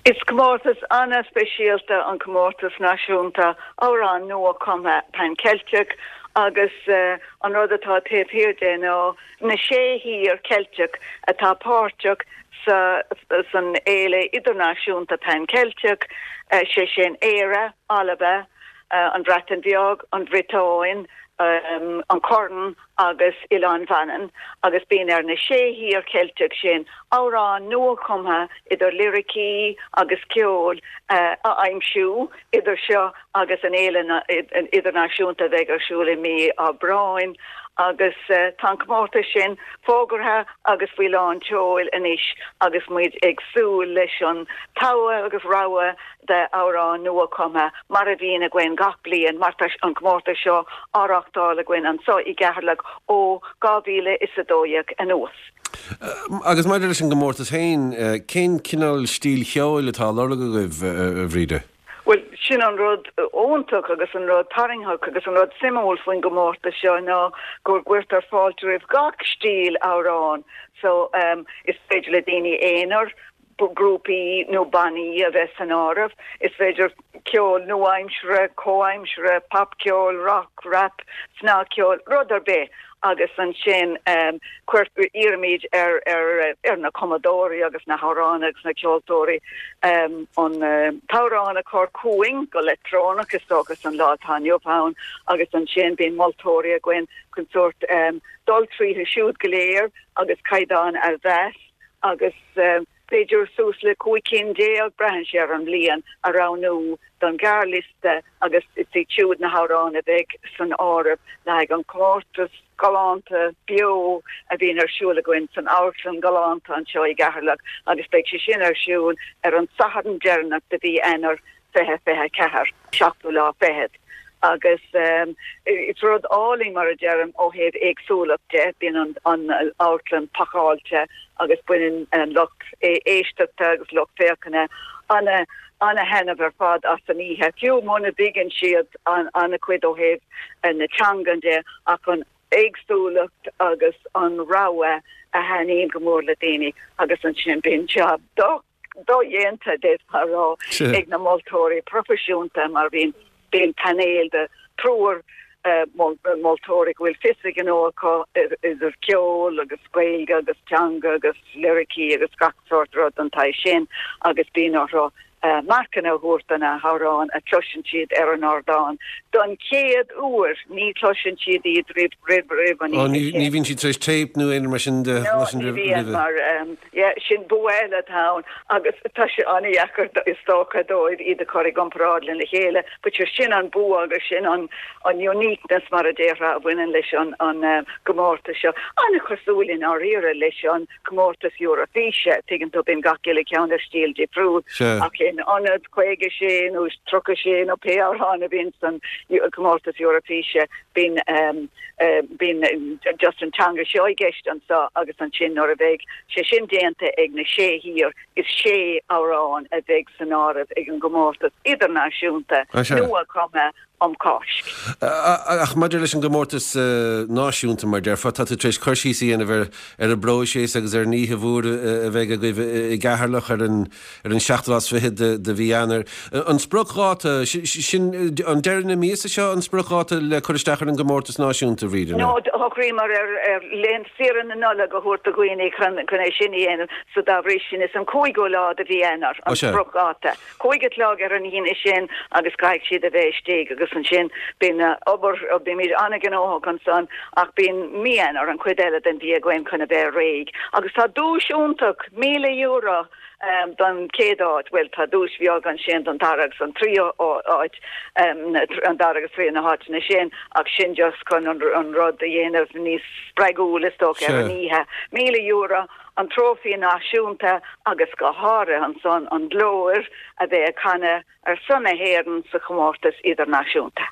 Is comórtas an-speisialta an comórtas náisiúnta amhrán nua-chumtha Pan Ceilteach agus uh, an rud atá taobh thiar de ná na sé thír Ceilteach atá páirteach sa san fhéile idirnáisiúnta Pan Ceilteach uh, sé sin Éire, Alba, uh, an Bhreatain Bheag, an Bhriotáin, um, an Corn agus Oileán Mhanann agus bíonn ar na sé thír Ceilteach sin amhrán nua-chumtha idir liricí agus ceol uh, a aimsiú idir seo agus an fhéile idirnáisiúnta bheidh ar siúl i mí Aibreáin agus uh, tá comórtas sin fógartha agus faoi lán tseoil anois agus muid ag súil leis an togha agus rogha de amhrán nua-chumtha mar a bhíonn againn gach bliain mar tá an comórtas seo á reáchtáil againn anseo i gCeatharlach ó dhá mhíle is a dó dhéag anuas. Agus maidir leis an gcomórtas féin, cén cineál stíl cheoil atá á lorg agaibh a Bhríde? Well sin an rud iontach agus an rud tarraingteach agus an rud suimiúil faoin gcomórtas seo ná go gcuirtear fáilte roimh gach stíl amhrán so um, is féidir le daoine aonair grúpaí nó bannaí a bheith san áireamh is féidir ceol nua-aimseartha comhaimseartha popcheol rock rap snagcheol rud ar bith agus ansin um, iarraimid ar ar ar na cumadóirí agus na hamhráin agus na ceoltóirí um, an um, t-amhrán a chur chugainn go leictreonach is agus an lá atá inniu ann agus ansin bíonn moltóirí againn chun sort um, dul tríothu siúd go léir agus caighdeán a mheas agus um, b'fhéidir suas le cúig cinn déag braitheann sé ar an mbliain a roghnú don ghearrliosta agus is iad siúd na hamhráin a bheidh san áireamh le haghaidh an comórtas galánta beo a bhíonn ar siúl againn san amharclann galánta anseo i gCeatharlach agus beidh sé sin ar siúl ar an Satharn deireanach de mhí Eanáir fiche fiche ceathair seachtú lá fichead. Agus um, is rud álainn mar a deirim ó thaobh éagsúlacht de bíonn an, an amharclann pacáilte agus baineann an lucht éisteachta agus lucht féachana an an-taitneamh ar fad as an oíche. Fiú muna dtuigeann siad an an-chuid ó thaobh na teangan de ach an éagsúlacht agus an rogha a thaitníonn go mór le daoine agus ansin bíonn jab dodhéanta d'fhéadfá a rá ag na moltóirí proifisiúnta mar bhíonn bíonn painéal de triúr uh, moltóirí go bhfuil fios a ngnó acu idir ceol agus Gaeilge agus teanga agus liricí agus gach sort rud an tsaghas sin agus bíonn orthu uh, marcanna a thabhairt do na hamhráin a chloiseann siad ar an ardán. Don chéad uair ní chloiseann siad iad roimh roimh roimh an Ní ní bhíonn siad tar éis téip nó aon mar sin de mar um, yeah, sin bua eile atá ann agus tá sé an-deacair is dócha dóibh iad a chur i gcomparáid lena chéile, but sin an bua agus sin an an uniqueness mar a déarfá a bhaineann leis an an uh, gcomórtas seo. An-chosúil i ndáiríre leis an comórtas Eurofíse, tuigeann tú bíonn gach uile ceann ar stíl difriúil ach in ionad caoga sé nó tríocha sé nó pé amhrán a bhíonn san comórtas Eurofíse bíonn um, uh, bíonn just an teanga seo i gceist anseo agus ansin nuair a bheidh sé sin déanta ag na sé thír is sé amhrán a bheidh san áireamh ag an gcomórtas idirnáisiúnta nua-chumtha um Cháisc. Ach maidir leis an gcomórtas náisiúnta mar déarfá tá tú tar éis cur síos a dhéanamh ar ar an bpróiseas agus ar an oíche mhór a bheidh agaibh i gCeatharlach ar an ar an seachtú lá is fiche de de mhí Eanáir. An spriocdháta sin an deireadh na míosa seo an spriocdháta le cur isteach ar an gcomórtas náisiúnta Bhríde? No shocraíomar ar ar laethanta saoire na Nollag a thabhairt do dhaoine chun chun é sin a dhéanamh so dá bhrí sin is an cúigiú lá de mhí Eanáir an spriocdháta. Cúig a chlog ar an Aoine sin agus caithfidh siad a bheith istigh agus agus ansin bíonn obair, bímid an-ghnóthach ansan ach bíonn mí Eanáir, an chuid eile den mhí againn chun a bheith réidh. Agus tá duais iontach, míle euro don chéad áit, bhuel tá duais bheag ansin don dara agus an tríú áit, an dara agus tríú na háiteanna sin ach sin just chun an rud a dhéanamh níos spreagúil is dócha ar an oíche. Míle euro, an trófaí náisiúnta agus go háirithe ansan an glór a bheith ag canadh ar son na hÉireann sa chomórtas idirnáisiúnta.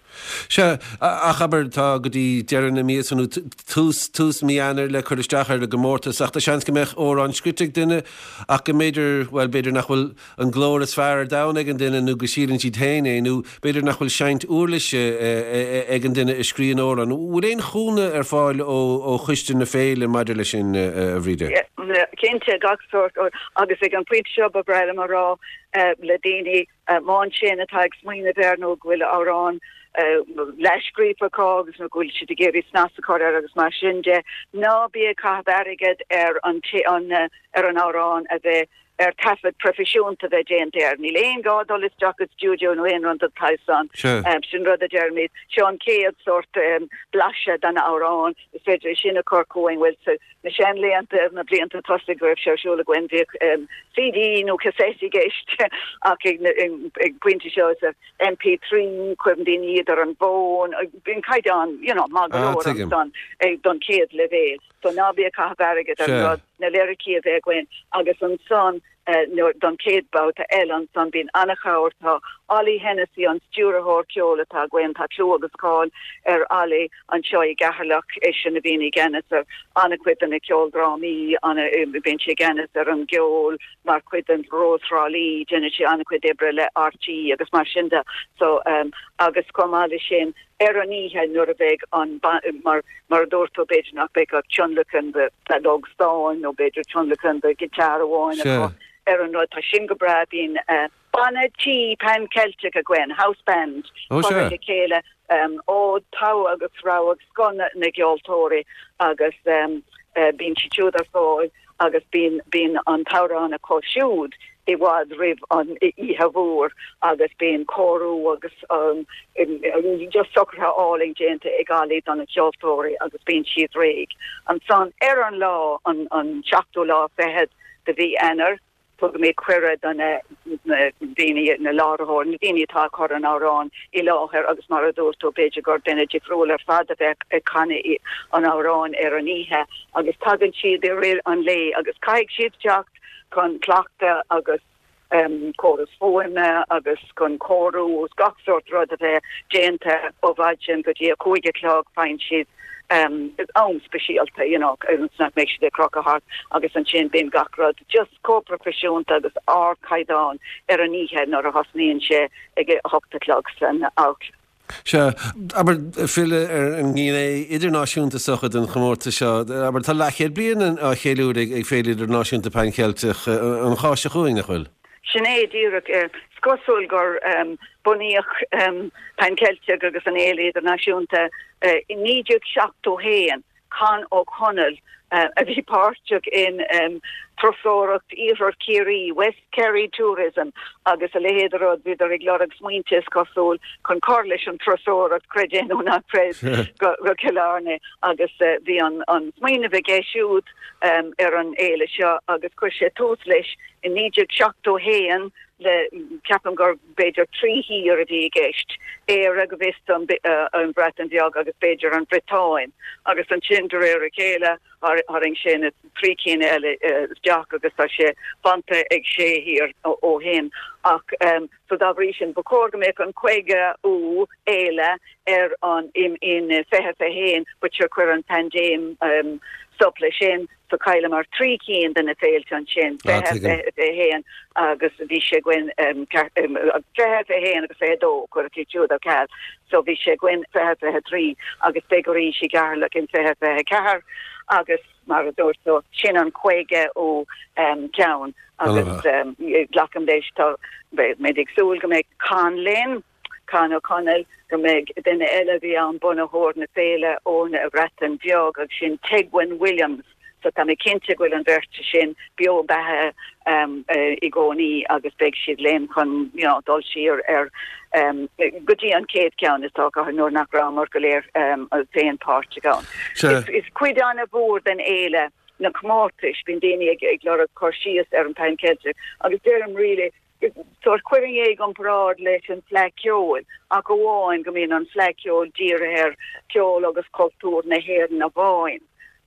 Sea, ach abair, tá go dtí deireadh na míosa nó tús, tús mí Eanáir le cur isteach ar an gcomórtas ach tá seans go mbeadh amhrán scrite ag duine ach go mb'fhéidir, bhuel, b'fhéidir nach bhfuil an glór is fearr ar domhan ag an duine nó go síleann siad féin é nó b'fhéidir nach bhfuil seinnt uirlise ag an duine a scríobh an amhrán. Bhfuil aon chúnamh ar fáil ó, ó choiste na féile maidir leis sin, a Bhríde? Cinnte, gach sórt, agus ag an bpointe seo ba bhreá liom a rá le daoine má ansin atá ag smaoineamh air nó go bhfuil amhrán leathscríofa acu agus nó go bhfuil siad ag iarraidh snas a chur air agus mar sin de, ná bí ag caitheamh airgead ar an ar an amhrán a bheith ar taifead proifisiúnta a bheith déanta air. Níl aon gá dul isteach i stiúideo nó aon rud den tsaghas san. Sin rud a deirimid. Seo an chéad sórt blaiseadh den amhrán. Is féidir é sin a chur chugainn. Bhuel, sa na seanlaethanta, na blianta tosaigh go raibh sé ar siúl againn, bhíodh CD nó cassette i gceist ach ag an bpointe seo is M P trí, cuireann daoine iad ar an bhfón, bíonn caighdeán you know maith go leor ansan don chéad leibhéal. So ná bí ag caitheamh airgead ar an rud, na liricí a bheith againn agus ansan don chéad babhta eile ansan bíonn an-chabhair, tá Ollie Hennessy, an stiúrthóir ceoil atá againn, tá clú agus cáil ar Ollie anseo i gCeatharlach, eisean a bhíonn i gceannas ar an-chuid de na ceoldrámaí, bíonn sé i gceannas ar an gceol mar chuid den Rós Thrá Lí, déanann sé an-chuid oibre le R T É agus mar sin de. So agus chomh maith leis sin ar an oíche nuair a bheidh an mar mar a dúirt tú b'fhéidir nach mbeidh ach tionlacan de fheadóg stáin nó b'fhéidir tionlacan de ghiotár amháin acu ar an rud, tá sin go breá, bíonn banna tí Pan Celtic againn, house band, curtha le chéile ó togha agus rogha agus scoth na gceoltóirí agus bíonn siad siúd ar fáil agus bíonn bíonn an t-amhrán acu siúd i bhfad roimh an oíche mhór agus bíonn cóiriú agus just socruithe álainn déanta ag Ollie do na ceoltóirí agus bíonn siad réidh. Ansan ar an lá, an an seachtú lá fichead de mhí Eanáir, tugaimid cuireadh do na daoine, na láithreoirí, na daoine atá ag cur an amhráin i láthair agus mar a dúirt tú, b'fhéidir gur duine difriúil ar fad a bheadh ag canadh an amhráin ar an oíche agus tagann siad i rith an lae agus caithfidh siad teacht chun cleachtadh agus córas fuaime agus chun cóiriú is gach sórt rud a bheith déanta ó mhaidin go dtí a cúig a chlog. Faigheann siad am speisialta you know agus nach mbeidh siad ag crochadh thart agus ansin bíonn gach rud just chomh proifisiúnta agus ardchaighdeán ar an oíche nuair a thosnaíonn sé ag a hocht a chlog san amharclann. Sea, abair, filleadh ar an ngné idirnáisiúnta is dócha den chomórtas seo, abair, tá leathchéad bliain á cheiliúradh ag Féile Idirnáisiúnta Pan Cheilteach an Cháisc seo chugainn, nach bhfuil? Sin é díreach. Is cosúil gur bunaíodh Pan Celtic agus an Fhéile Idirnáisiúnta i naoi déag seachtó haon. Con Ó Conaill a bhí páirteach in turasóireacht Iarthar Chiarraí, West Kerry Tourism, agus a leithéid de rud, bhíodar ag lorg smaointe is cosúil chun cur leis an turasóireacht, creid é nó ná creid, go Cill Airne agus bhí an smaoineamh aige siúd ar an fhéile seo agus chuir sé tús leis i naoi déag seachtó haon le, ceapaim gur b'fhéidir trí thír a bhí i gceist, Éire go bhfios dom, an Bhreatain Bheag agus b'fhéidir an Bhriotáin agus ansin de réir a chéile tharraing sé na trí cinn eile isteach agus tá sé fanta ag sé thír ó shin ach so dá bhrí sin ba chóir go mbeadh an caogaú fhéile ar an in fiche fiche haon but sure chuir an paindéim stop leis sin so chailleamar trí cinn de na féilte ansin, fiche, fiche, fiche haon agus bhí sé againn fiche, fiche haon agus fiche dó, cuireadh iad siúd ar ceal so bhí sé againn fiche, fiche trí agus beidh arís i gCeatharlach in fiche, fiche ceathair agus mar a dúirt tú, sin an caogaú ceann agus glacaim leis tá beimid ag súil go mbeidh Con linn. Con Ó Conaill, go mbeidh duine eile a bhí ann, bunaitheoir na féile ón Bhreatain Bheag agus sin Tegwen Williams, So tá mé cinnte go bhfuil an bheirt sin beo beatha um, uh, i gcónaí agus beidh siad linn chun you know, dul siar ar um, go dtí an chéad ceann is dócha nuair nach rabhamar go léir um, féin páirteach ann. Is, is cuid an-mhór den fhéile na comórtais bíonn daoine ag ag lorg cur síos ar an Pan Celtic agus deirim really sórt cuireann é i gcomparáid leis an Fleadh Cheoil ach amháin go mbíonn an Fleadh Cheoil dírithe ar ceol agus cultúr na hÉireann amháin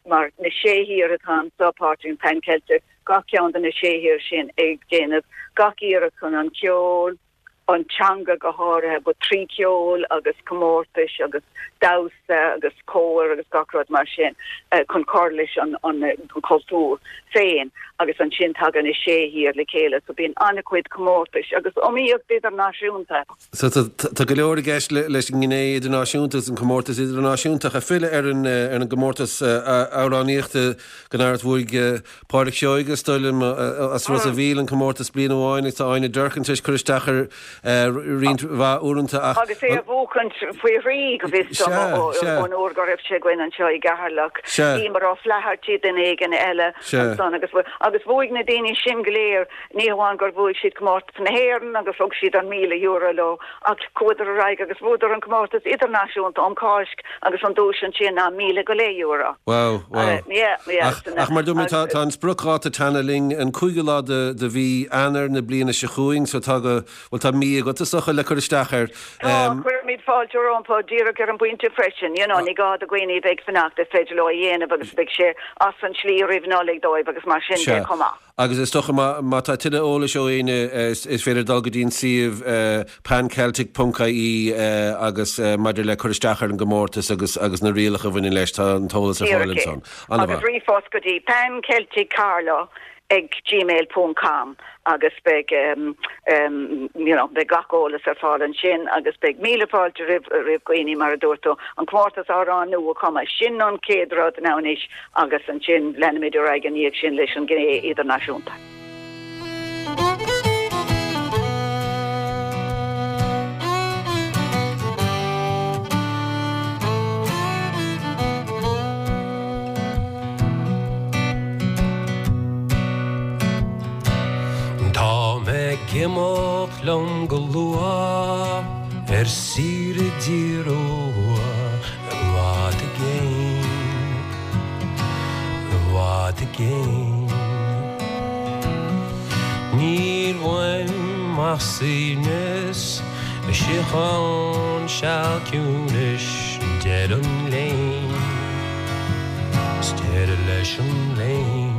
mar na sé thír atá anseo páirteach in Pan Celtic gach ceann de na sé thír sin ag déanamh gach iarracht chun an ceol an teanga go háirithe but trí ceol agus comórtais agus damhsa agus cór agus gach rud mar sin uh, chun cur leis an an, an cultúr féin agus ansin tagann na sé thír le chéile so bíonn an-chuid comórtais agus iomaíocht idirnáisiúnta. So tá go leor i gceist leis an ngné idirnáisiúnta an comórtas idirnáisiúnta a filleadh ar an ar an gcomórtas amhránaíochta gan amhras bhuaigh Pádraic Seoige is dóigh liom as Ros a' Mhíl an comórtas bliain amháin agus tá Áine Durkin tar éis cur isteach ar roinnt mhaith uaireanta ach Agus é a bhuachan faoi thrí go bhfios dom ón uair go raibh sé againn anseo i gCeatharlach. Emer O'Flaherty duine éigin eile ansan agus agus bhuaigh na daoine sin go léir ní hamháin gur bhuaigh siad comórtas na hÉireann agus thug siad an míle euro leo ach chuadar ar aghaidh agus bhuadar an comórtas idirnáisiúnta um Cháisc agus an duais ansin ná míle go leith euro. Wow, wow. Uh, yeah, yeah, Ach, ach mar dúirt mé tá tá an spriocdháta cheana linn an cúigiú lá de de mhí Eanáir na bliana seo chugainn so tá go bhfuil tá mí agat is dócha le cur isteach air. Tá, cuirimid fáilte rompu díreach ar an bpointe freisin, you know, ní gá do dhaoine bheith ag fanacht is féidir leo a dhéanamh agus beidh sé as an slí roimh Nollaig dóibh agus mar sin de chomh maith. Agus is dócha má tá tuilleadh eolais ó éinne is féidir dul go dtí an suíomh panceltic ponc ie agus maidir le cur isteach ar an gcomórtas agus agus na rialacha a bhaineann leis tá an t-eolas ar fáil ansan. Agus ríomhphost go dtí pancelticcarlow ag gmail ponc com agus beidh um, um, you know, beidh gach eolas ar fáil ansin agus beidh míle fáilte roimh roimh dhaoine mar a dúirt tú an comórtas amhrán nua chumtha sin an chéad rud now anois agus ansin leanfaimid ar aghaidh ina dhiaidh sin leis an gné idirnáisiúnta. Tá mé ag imeacht liom go luath ar saoire i dtír úr i bhfad i gcéin, i bhfad i gcéin. Níl uaim ach suaimhneas, síocháin, seal ciúnais, deireadh an léinn, 's deireadh leis an léinn.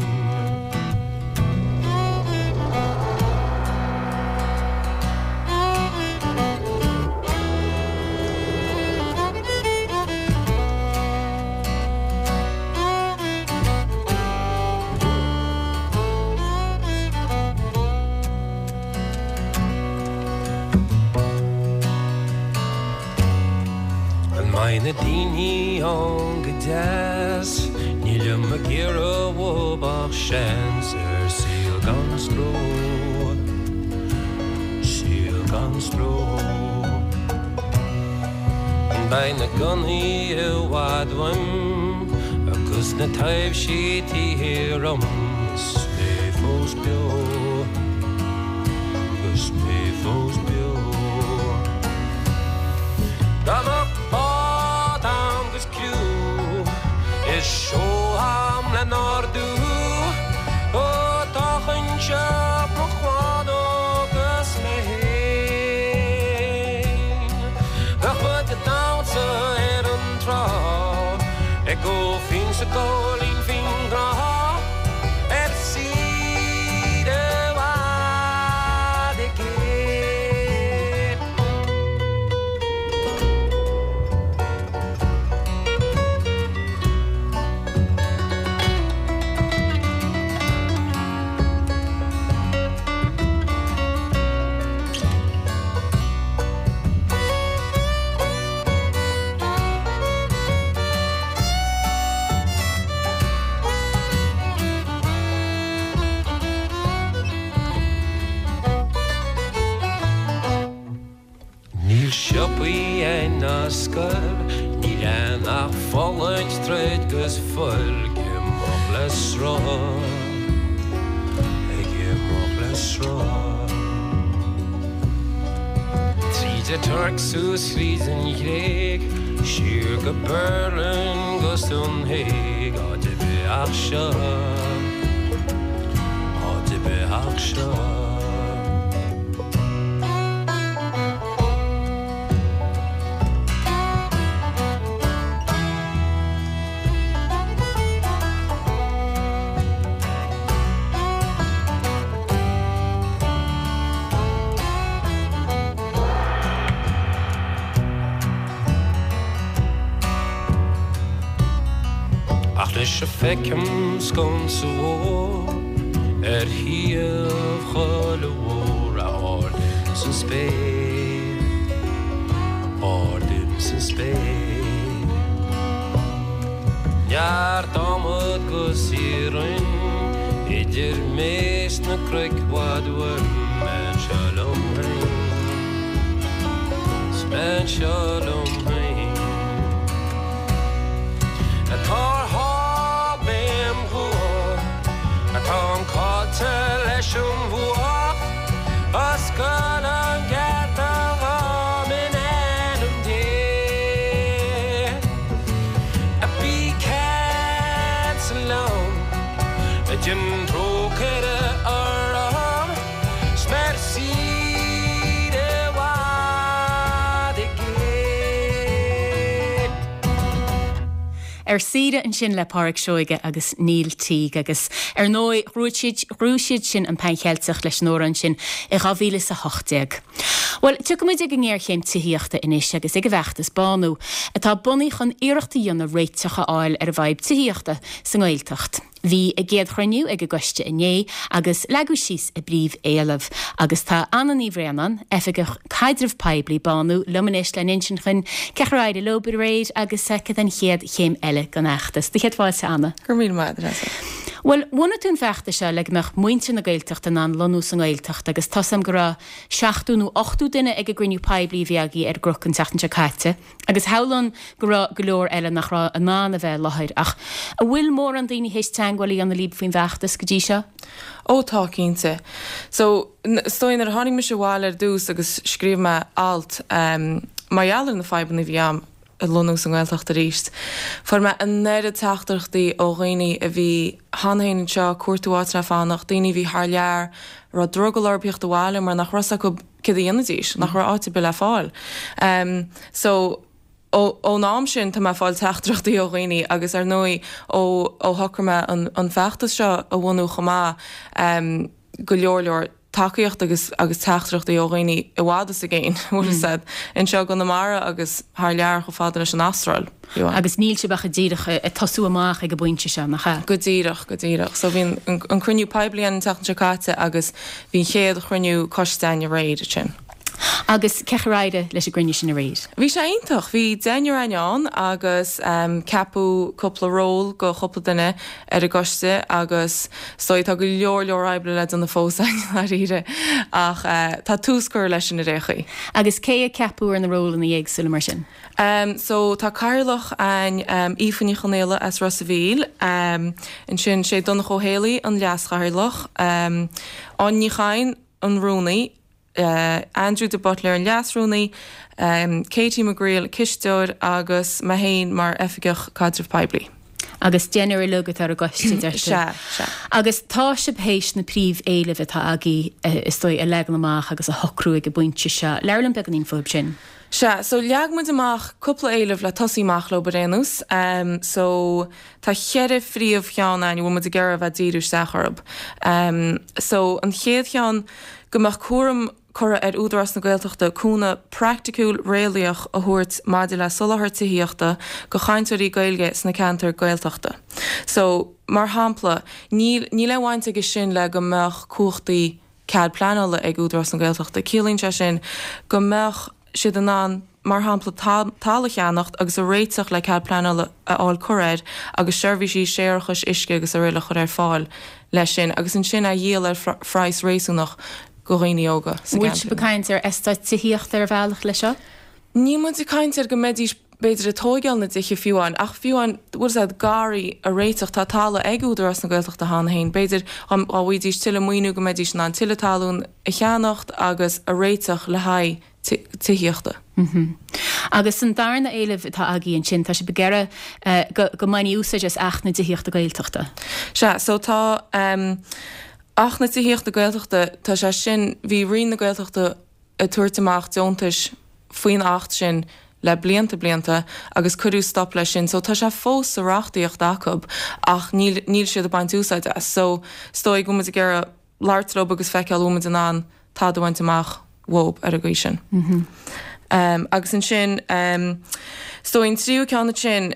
An mbeidh na daoine ann go deas? Nílim ag iarraidh uathu ach seans ar saol gan stró, saol gan stró. Beidh na gunnaí i bhfad uaim agus na taibhsí taobh thiar dhom is mé fós beo, agus mé fós beo. Dá mbeadh bád a'm 'gus criú is seol a'm le n-ardú, ó d'fhágfainnse mo chlann agus mé fhéin. Bheadh muid ag damhsa ar an trá, ag ól fíon 's ag gol linn faoin ngrá, ar saoire i bhfad i gcéin. Níl siopaí ann ná scoil, níl ann ach fulaingt, troid 'gus fuil, ag imeacht le le sruth Ag imeacht le sruth Tríd an Tuirc suas thríd an Ghréig Siar go Berlin 'gus don Hague Áit ar bith ach seo Áit ar bith ach seo. Ach anois a feicim sconsa mhór ar thaobh choille mhór ard san spéir, ard insan spéir. Neart adhmad 'gus iarainn idir mé 's na cnoic i bhfad uaim, mé anseo liom féin, 's mé anseo liom féin. Atá ar thál béim dhua, Atáim caillte leis an bhfuath, Oscail an geata dhom in ainm Dé. Bí ceansa liom, déan trócaire orm, 's mé ar saoire i bhfad i gcéin. Ar saoire ansin le Pádraic Seoige agus Neil Teague agus ar ndóigh ghnóthaigh siad sin an Pan Cheilteach leis an amhrán sin i dhá mhíle is a hocht déag. Bhuel, tiocfaidh muid ag an ngéarchéim tithíochta anois agus ag an bhfeachtas Bánú, atá bunaithe chun iarracht a dhéanamh réiteach a fháil ar an bhfadhb tithíochta sa nGaeltacht. Bhí a gcéad chruinniú ag an gcoiste inné agus leagadh síos a bpríomhéilimh. Agus tá Anna Ní Bhraonáin, Oifigeach Caidreamh Poiblí Bánú, liom anois le n-insint dhúinn cén chaoi ar éirigh leo aréir agus cad an chéad chéim eile den fheachtas. Do chéad fáilte, Anna. Go raibh míle maith agat, Treasa. Bhuel, bhunaigh tú an feachtas seo le go mbeadh muintir na Gaeltachta in ann lonnú sa nGaeltacht agus tá 's a'm go raibh seachtó nó ochtó duine ag an gcruinniú poiblí a bhí agaibh ar an gCnoc an tseachtain seo caite. Agus shamhlóinn go raibh go leor eile nach raibh in ann a bheith i láthair ach an bhfuil mórán daoine théis teagmháil a dhéanamh libh faoin bhfeachtas go dtí seo? Ó tá, cinnte. So, is dóigh nuair a tháinig mise abhaile ar dtús agus scríobh mé alt mar gheall ar na fadhbanna a bhí a'm ag lonnú sa nGaeltacht arís, fuair mé an oiread teachtaireachtaí ó dhaoine a bhí cheana féin anseo ag cuartú áit le fanacht, daoine a bhí thar lear, a raibh drogall orthu theacht abhaile mar nach raibh 's acu céard a dhéanfaidís, nach raibh áit ar bith le fáil. So, ón am sin tá mé ag fáil teachtaireachtaí ó dhaoine agus ar ndóigh ó ó shocraigh mé an an feachtas seo a bhunú chomh maith, go leor leor tacaíocht agus agus teachtaireachtaí ó dhaoine i bhfad is i gcéin, bhfuil 'fhios a'd, anseo i gConamara agus thar lear chomh fada leis an Astráil, fiú. Agus níl sibh ach díreach ag tosú amach ag an bpointe seo, nach ea? Go díreach, go díreach. So bhí an an cruinniú poiblí an tseachtain seo caite agus bhí an chéad chruinniú coiste againn aréir ansin. Agus cén chaoi ar éirigh leis an gcruinniú sin aréir? Bhí sé iontach. Bhí deichniúr againn ann agus ceapadh cúpla ról go chúpla duine ar an gcoiste agus is dóigh tá go leor leor oibre le déanamh fós againn i ndáiríre ach tá tús curtha leis sin ar aon chaoi. Agus cé a ceapadh ar na rólanna éagsúla mar sin? So tá cathaoirleach againn, Aoife Ní Chonaola as Ros a' Mhíl. Ansin sé Donncha Ó Héalaí an leas-chathaoirleach, Áine Ní Chadhain an rúnaí, Andrew de Buitléir an Leas-Rúnaí, Katie McGreal, Cisteoir agus mé féin mar Oifigeach Caidreamh Poiblí. Agus deichniúr uilig atá ar an gcoiste, deir tú. Sea, sea. Agus tá sibh théis na príomhéilimh atá agaibh, is dóigh, a leagan amach agus a shocrú ag an bpointe seo. Labhair liom beagáinín fúthu sin. Sea, so leag muid amach cúpla éileamh le tosaí amach leo ar aon nós. So tá cheithre phríomhcheann againn a bhfuil muid ag iarraidh a bheith ag díriú isteach orthu. So an chéad cheann, go mbeadh cúram curtha ar Údarás na Gaeltachta cúnamh praiticiúil réalaíoch a thabhairt maidir le soláthar tithíochta go chainteoirí Gaeilge sna ceantair Gaeltachta. So, mar shampla, níl níl aon bhaint aige sin le go mbeadh cumhachtaí cead pleanála ag Údarás na Gaeltachta. Ciallaíonn sé sin go mbeadh siad in ann, mar shampla, talamh a cheannacht agus a réiteach le cead pleanála a fháil curtha air agus seirbhísí séarachais, uisce agus araile a chur ar fáil leis sin agus ansin a dhíol ar phraghas réasúnach go dhaoine óga sa Bhfuil sibh ag caint ar eastáit tithíochta ar bhealach leis seo? Níl muid ag caint ar go mbeidís b'fhéidir ag tóigeáil na dtithe fiú amháin, ach fiú amháin, bhfuil 'fhios a'd, garraí a réiteach, tá talamh ag Údarás na Gaeltachta cheana féin, b'fhéidir dá bhfaighidís tuilleadh maoiniú go mbeidís in ann tuilleadh talún a cheannacht agus a réiteach le haghaidh tithíochta. Agus an darna éileamh atá agaibh ansin, tá sibh ag iarraidh go go mbainfí úsáid as Acht na dTithíochta Gaeltachta. Sea, so tá Acht na Tithíochta Gaeltachta, tá sé sin, bhí Roinn na Gaeltachta ag tabhairt amach deontais faoin Acht sin le blianta blianta agus cuireadh stop leis sin so tá sé fós sa reachtaíocht acu ach níl níl siad ag baint úsáid as so is dóigh go bhfuil muid ag iarraidh labhairt leo agus feiceáil an bhfuil muid in ann tada a bhaint amach uathu ar an gcaoi sin. Agus ansin is dóigh an tríú ceann ansin,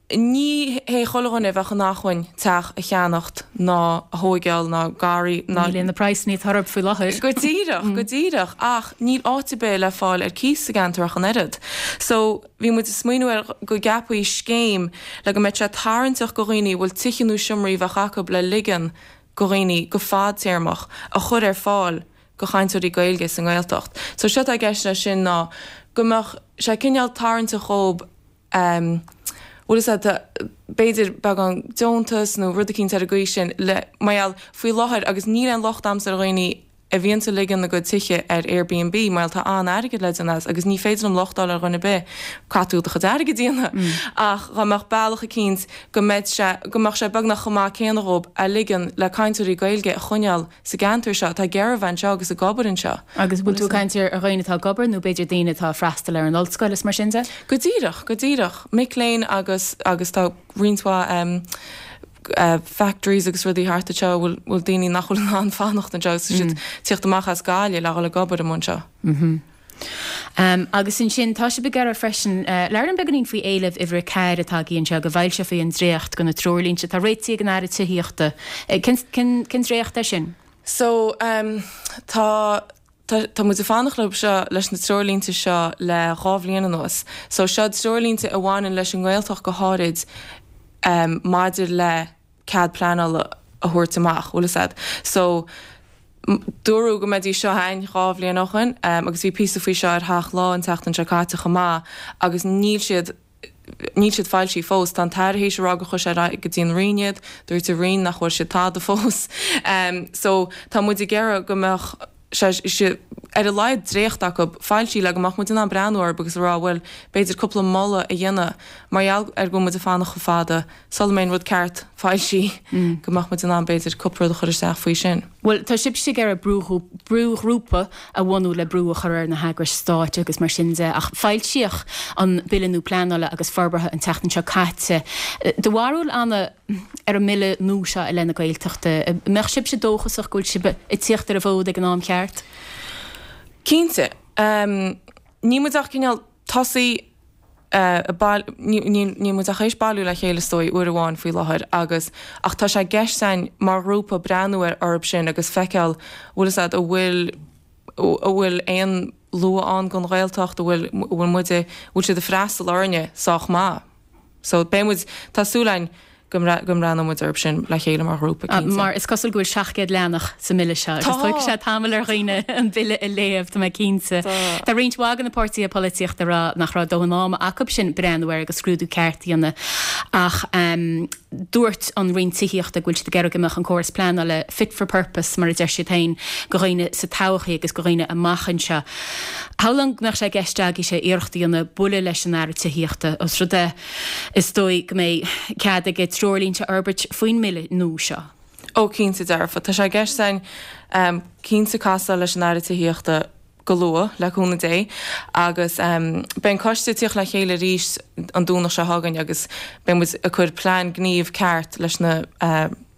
Ní hé chuile dhuine a bheadh in acmhainn teach a cheannacht ná a thóigeáil ná garraí ná. Ní le na praghsanna atá orthu faoi láthair. Go díreach, go díreach. Ach níl áit ar bith le fáil ar cíos sa gceantar ach an oiread. So, bhí muid ag smaoineamh ar go gceapfaí scéim le go mbeadh sé tarraingteach go dhaoine a bhfuil tithe nó seomraí a bheadh acu le ligean go dhaoine go fadtéarmach a chur ar fáil go chainteoirí Gaeilge sa nGaeltacht. So, séard atá i gceist leis sin ná go mbeadh sé cineál tarraingteach dhóibh bhfuil fhios a'd, b'fhéidir beagán deontas nó rud eicínt ar an gcaoi sin le, mar gheall, faoi láthair agus níl aon locht a'msa ar dhaoine a bhíonns ag ligean a gcuid tithe ar Airbnb mar gheall tá an-airgead le déanamh as agus ní féidir liom locht a fháil ar dhuine ar bith caithfidh tú do chuid airgid a dhéanamh ach dhá mbeadh bealach eicínt go mbeadh sé, go mbeadh sé beagnach chomh maith céanna dhóibh a ligean le cainteoirí Gaeilge a choinneáil sa gceantar seo atá ag iarraidh bheith anseo agus ag obair anseo. Agus bhfuil tú ag caint ar dhaoine atá ag obair nó b'fhéidir daoine atá ag freastal ar an ollscoil is mar sin de? Go díreach, go díreach. Mic léinn agus, agus tá roinnt mhaith factories agus rudaí thart anseo a bhfuil, bhfuil daoine nach bhfuil in ann fanacht anseo agus tá siad ag tíocht amach as Gaillimh le dhul ag obair amuigh anseo. Agus ansin, tá sibh ag iarraidh freisin, labhair liom beagáinín faoi éileamh uimhir a ceathair atá agaibh anseo, go bhfoilseofaí an dréacht de na treoirlínte atá réitithe ag an Aire Tithíochta. Cén, cén dréacht é sin? So, tá, tá, tá muid ag fanacht leo seo, leis na treoirlínte seo le dhá bhliain anuas. So, seo treoirlínte a bhaineann leis an nGaeltacht go háirid maidir le cead pleanála a thabhairt amach, bhfuil fhios a'd. So, dúradh go mbeidís seo a'ainn dhá bhliain ó shoin agus bhí píosa faoi seo ar Theach Lá an tseachtain seo caite chomh maith agus níl siad, níl siad foilsithe fós. Tá an tAire théis a rá gur chuir sé ar aghaidh go dtí an Roinn iad, dúirt an Roinn nach bhfuair siad tada fós. So, tá muid ag iarraidh go mbeadh sé, sé, ar a laghad dréacht acu foilsithe le go mbeadh muid in ann breathnú orthu agus a rá bhuel, b'fhéidir cúpla moladh a dhéanamh mar gheall ar go bhfuil muid ag fanacht chomh fada sula mbeidh an rud ceart foilsithe, go mbeadh muid in ann b'fhéidir cúpla rud a chur isteach faoi sin. Bhuel, tá sibhse ag iarraidh brúghrúpa a bhunú le brú a chur ar na heagrais stáit agus mar sin de, ach foilsíodh an Bille nua Pleanála agus Forbartha an tseachtain seo caite. Do bharúil, Anna, ar an mBille nua seo i leith na Gaeltachta, an mbeadh sibhse dóchasach go bhfuil sibh ag tíocht ar an bhfód ag an am ceart? Cinnte. Níl muid ach cineál tosaí ag bail, níl muid ach théis bailiú le chéile is dóigh uair amháin faoi láthair agus, ach tá sé i gceist againn mar ghrúpa breathnú ar orthu sin agus feiceáil bhfuil fhios a'd, an bhfuil, an bhfuil aon lua ann don Ghaeltacht, an bhfuil, an bhfuil muid, an bhfuil siad ag freastal orainne sách maith. So beidh muid, tá súil againn go go mbreathnóidh muid orthu sin le chéile mar ghrúpa, cinnte. Mar is cosúil go bhfuil seacht gcéad leathanach sa mBille seo agus tógfaidh sé tamall ar dhaoine an Bille a léamh, tá mé cinnte. Tá roinnt mhaith de na páirtithe polaitíochta ag rá nach raibh dóthain ama acu sin breathnú air agus scrúdú ceart a dhéanamh ach dúirt an Roinn Tithíochta go bhfuil siad ag iarraidh go mbeadh an córas pleanála fit for purpose, mar a deir siad féin, do dhaoine sa todhchaí agus do dhaoine amach anseo. Shamhlóinn go mbeadh sé i gceist agaibhse iarracht a dhéanamh bualadh leis an Aire Tithíochta os rud é, is dóigh, go mbeidh cead aige treoirlínte a fhorbairt faoin mBille nua seo. Ó, cinnte dearfa. Tá sé i gceist againn cinnte casadh leis an Aire Tithíochta go luath, le cúnamh Dé, agus beidh an coiste ag tíocht le chéile arís an Domhnach seo chugainn agus beidh muid ag cur plean gnímh ceart leis na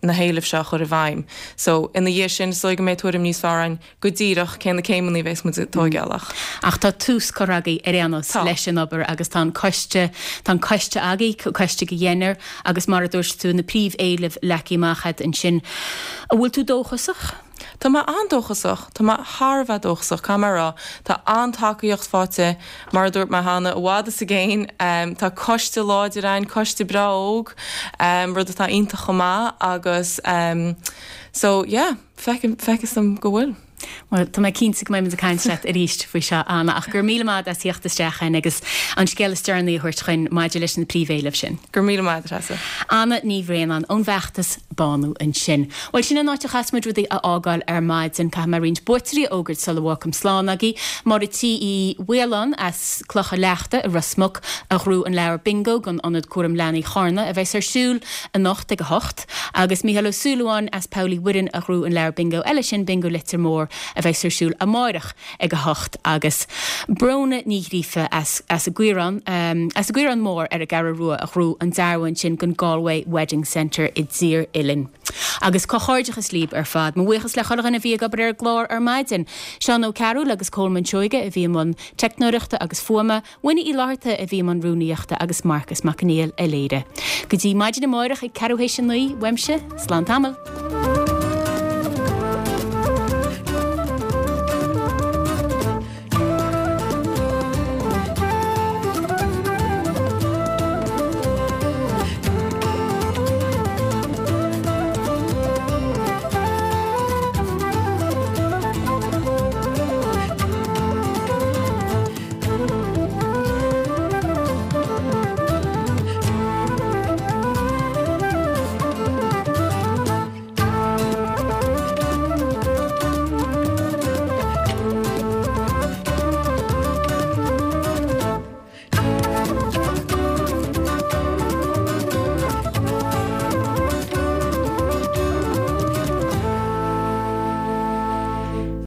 na héilimh seo a chur i bhfeidhm. So, ina dhiaidh sin, is dóigh go mbeidh tuairim níos fearr againn go díreach cé na céimeanna a bheas muid ag tóigeáil ach. Ach tá tús curtha agaibh ar aon nós leis an obair agus tá an coiste, tá an coiste agaibh, coiste de dheichniúr agus mar a dúirt tú, na príomhéilimh leagtha amach agat ansin. An bhfuil tú dóchasach? Tá mé an-dóchasach. Tá mé thar a bheith dóchasach, caithfidh mé a rá. Tá an-tacaíocht faighte, mar a dúirt mé cheana, i bhfad is i gcéin. Tá coiste láidir againn, coiste breá óg, rud atá iontach chomh maith agus so yeah, feictear dom go bhfuil. Bhuel, tá mé cinnte go mbeidh muid ag caint leat arís faoi seo, Anna, ach go raibh míle maith as theacht isteach chugainn agus an scéal is deireanaí a thabhairt chugainn maidir leis na príomhéilimh sin. Go raibh míle maith, Treasa. Anna Ní Bhraonáin ón bhfeachtas Bánú ansin. Bhuel, sin an áit a chaithfeas muid rudaí a fhágáil ar maidin. Caithfidh mé roinnt buaiteoirí a fhógairt sula bhfágfaim slán agaibh. Máire T Uí Mhaoláin as Clocha Leachta i Ros Muc a ghnóthaigh an leabhar Bingo don Ionad Cúram Leanaí Charna a bheas ar siúl anocht ag a hocht agus Mícheál Ó Súilleabháin as Poll Uí Mhuirinn a ghnóthaigh an leabhar Bingo eile sin, Bingo Leitir Móir, a bheas ar siúl amáireach ag a hocht agus Bróna Ní Ghríofa as as an gCaorán as an gCaorán Mór ar an gCeathrú Rua a ghnóthaigh an dearbhán sin don Galway Wedding Centre i dTír Oilinn. Agus comhghairdeachas libh ar fad. Mo bhuíochas le chuile dhuine a bhí ag obair ar an gclár ar maidin. Seán Ó Cearúil agus Colman Seoige a bhí i mbun teicneoireachta agus fuaime, Winnie Uí Fhlatharta a bhí i mbun rúnaíochta agus Marcas Mac Conghail a léirigh. Go dtí maidin amáireach ag ceathrú théis a naoi, uaimse, slán tamall.